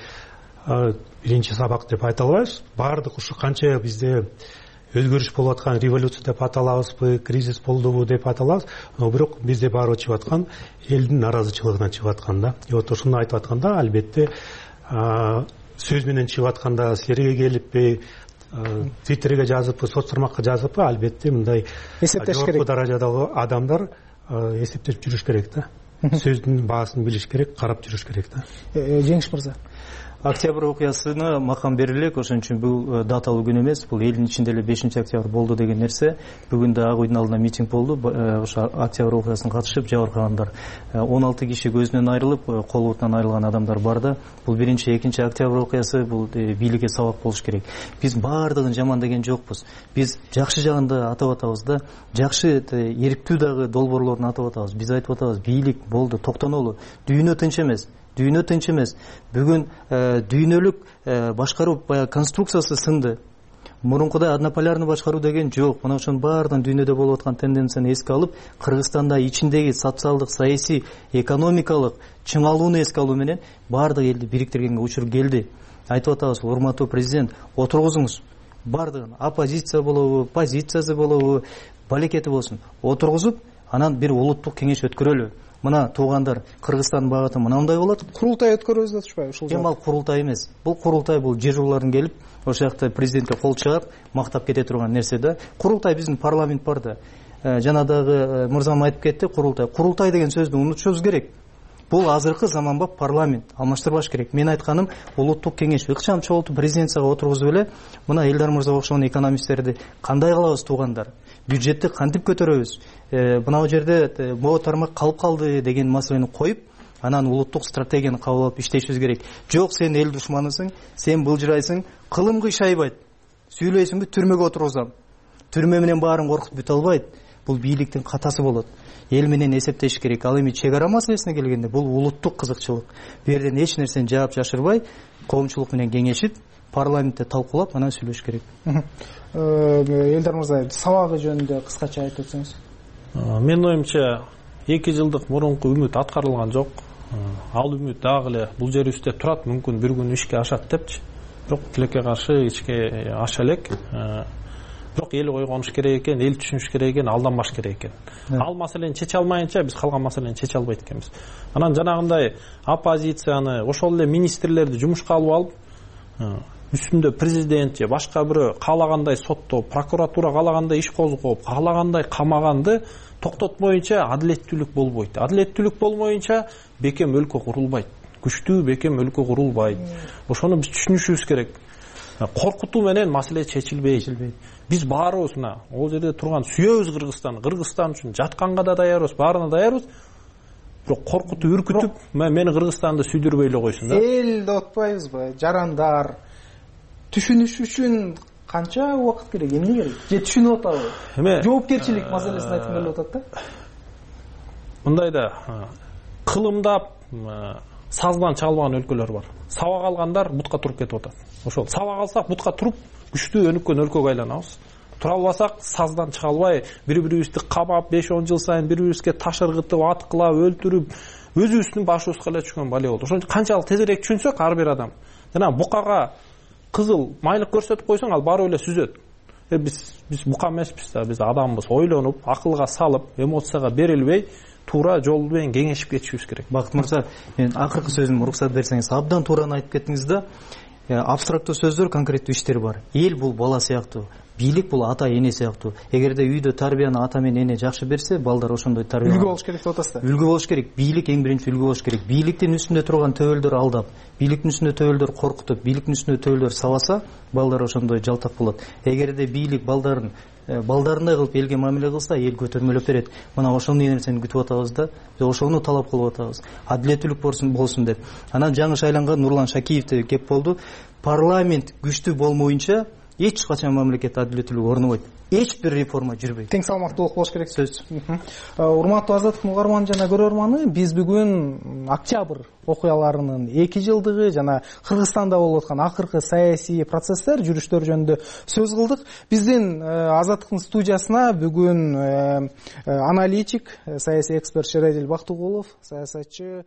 биринчи сабак деп айта албайбыз. Баардык ушу канча бизде өзгөрүш болуп аткан, революция деп аталабызбы, кризис болдубу деп аталабыз, бирок бизде баары чыгып аткан элдин наразычылыгынан чыгып аткан да. И вот ошону айтып атканда, албетте сөз менен чыгып атканда силерге келиппи, Твиттерге жазыппы, соц тармакка жазыппы, албетте мындай эсептеш керек. Жогорку даражадагы адамдар эсептеп жүрүш керек да. Сөздүн баасын билиш керек, карап жүрүш керек да. Жеңиш мырза. Октябрь окуясына макам берилек, ошон үчүн бул даталуу күн эмес, бул элдин ичинде эле бешинчи октябрь болду деген нерсе. Бүгүн да Ак үйдүн алдында митинг болду. Ошо октябрь окуясына катышып жабыркагандар он алты киши көзүнөн айрылып, кол бутунан айрылган адамдар бар да. Бул биринчи, экинчи октябрь окуясы, бул бийликке сабак болуш керек. Биз баардыгын жаман деген жокпуз. Биз жакшы жагын да атап атабыз да, жакшы эриптүү дагы долбоорлорун атап атабыз. Биз айтып атабыз, бийлик болду, токтонолу. Дүйнө тынч эмес. Дүйнө тынч эмес. Бүгүн дүйнөлүк башкаруу конструкциясы сынды. Мурункудай однополярный башкаруу деген жок. Мына ошонун баарынан дүйнөдө болуп аткан тенденцияны эске алып, Кыргызстанда ичиндеги социалдык, саясий, экономикалык чыңалууну эске алуу менен баардык элди бириктиргенге учур келди. Айтып атабыз, урматтуу президент, отургузуңуз. Баардыгын оппозиция болобу, позициясы болобу, балекети болсун, отургузуп, анан бир улуттук кеңеш өткөрөлү. Мына туугандар, Кыргызстандын багыты мынандай болот. Курултай өткөрөбүз деп атышпайбы ушул жакта? Эми ал курултай эмес. Бул курултай, бул жер жуулардын келип, ошол жакта президентке кол чыгап, мактап кете турган нерсе да. Курултай биздин парламент бар да. Жана дагы мырзам айтып кетти, курултай. Курултай деген сөздү унутушубуз керек. Бул азыркы заманбап парламент, алмаштырбаш керек. Мен айтканым, улуттук кеңеш ыкчам чогултуп президенцияга отургузуп эле, мына Элдар мырза окшогон экономисттерди кандай кылабыз туугандар? Бюджетти кантип көтөрөбүз? Мына жерде могу тармак калып калды деген маселени коюп, анан улуттук стратегияны кабыл алып иштешибиз керек. Жок, сен эл душманысың, сен былжырайсың, кылым кыйшайбайт. Сүйлөйсүңбү, түрмөгө отургузам. Түрмө менен баарын коркутуп бүтө албайт. Бул бийликтин катасы болот. Эл менен эсептеш керек. Ал эми чек ара маселесине келгенде бул улуттук кызыкчылык. Бу жерден эч нерсени жаап жашырбай, коомчулук менен кеңешип, парламентте талкуулап, анан сүйлөш керек. Элдар мырза, сабагы жөнүндө кыскача айтып өтсөңүз. Менин оюмча, эки жылдык мурунку үмүт аткарылган жок. Ал үмүт дагы эле бул жерибизде турат, мүмкүн бир күн ишке ашат депчи. Бирок тилекке каршы ишке аша элек. Бирок эл ойгонуш керек экен, эл түшүнүш керек экен, алданбаш керек экен. Ал маселени чече алмайынча биз калган маселени чече албайт экенбиз. Анан жанагындай оппозицияны, ошол эле министрлерди жумушка алып алып, үстүндө президент же башка бирөө каалагандай соттоп, прокуратура каалагандай иш козгоп, каалагандай камаганды токтотмоюнча адилеттүүлүк болбойт. Адилеттүүлүк болмоюнча бекем өлкө курулбайт. Күчтүү бекем өлкө курулбайт. Ошону биз түшүнүшүбүз керек. Коркутуу менен маселе чечилбейт. Биз баарыбыз мына ол жерде турган сүйөбүз Кыргызстан, Кыргызстан үчүн жатканга да даярбыз, баарына даярбыз. Бирок коркутуп, үркүтүп, мени Кыргызстанды сүйдүрбөй эле койсун да. Эл деп атпайбызбы? Жарандар түшүнүш үчүн канча убакыт керек, эмне керек? Же түшүнүп атабы? Эме жоопкерчилик маселесин айткым келип атат да. Мындайда кылымдап, саздан чалбаган өлкөлөр бар. Сабак алгандар бутка туруп кетип атат. Ошол сабак алсак бутка туруп, күчтүү өнүккөн өлкөгө айланабыз. Тура албасак саздан чыга албай, бири-бирибизди кабап, беш он жыл сайын бири-бирибизге таш ыргытып, аткылап, өлтүрүп, өзүбүздүн башыбызга эле түшкөн бале болду. Ошон үчүн канчалык тезирээк түшүнсөк ар бир адам, жана букага кызыл майлык көрсөтүп койсоң, ал баары эле сүзөт. Биз биз бука эмеспиз да, биз адамбыз. Ойлонуп, акылга салып, эмоцияга берилбей, туура жол менен кеңешип кетишибиз керек. Бакыт мырза, мен акыркы сөзүм уруксат берсеңиз, абдан туураны айтып кеттиңиз да. Абстрактуу сөздөр, конкреттүү иштер бар. Эл бул бала сыяктуу, бийлик бул ата эне сыяктуу. Эгерде үйдө тарбияны ата менен эне жакшы берсе, балдар ошондой тарбия үлгү болуш керек деп атасыздар. Үлгү болуш керек. Бийлик эң биринчи үлгү болуш керек. Бийликтин үстүндө турган төбөлдөр алдап, бийликтин үстүндө төбөлдөр коркутуп, бийликтин үстүндө төбөлдөр сабаса, балдар ошондой жалтак болот. Эгерде бийлик балдарын балдарындай кылып элге мамиле кылса, эл көтөрмөлөп берет. Мына ошондой нерсени күтүп атабыз да, ошону талап кылып атабыз. Адилеттүүлүк болсун болсун деп. Анан жаңы шайланган Нурлан Шакиевде кеп болду. Парламент күчтүү болмоюнча эч качан мамлекет адилеттүүлүк орнобойт. Эч бир реформа жүрбөйт. Тең салмактуулук болуш керек. Сөз. Урматтуу Азаттыктын угарманы жана көрөрманы, биз бүгүн октябрь окуяларынын эки жылдыгы жана Кыргызстанда болуп аткан акыркы саясий процесстер, жүрүштөр жөнүндө сөз кылдык. Биздин Азаттыктын студиясына бүгүн аналитик, саясий эксперт Шередил Бактыгулов, саясатчы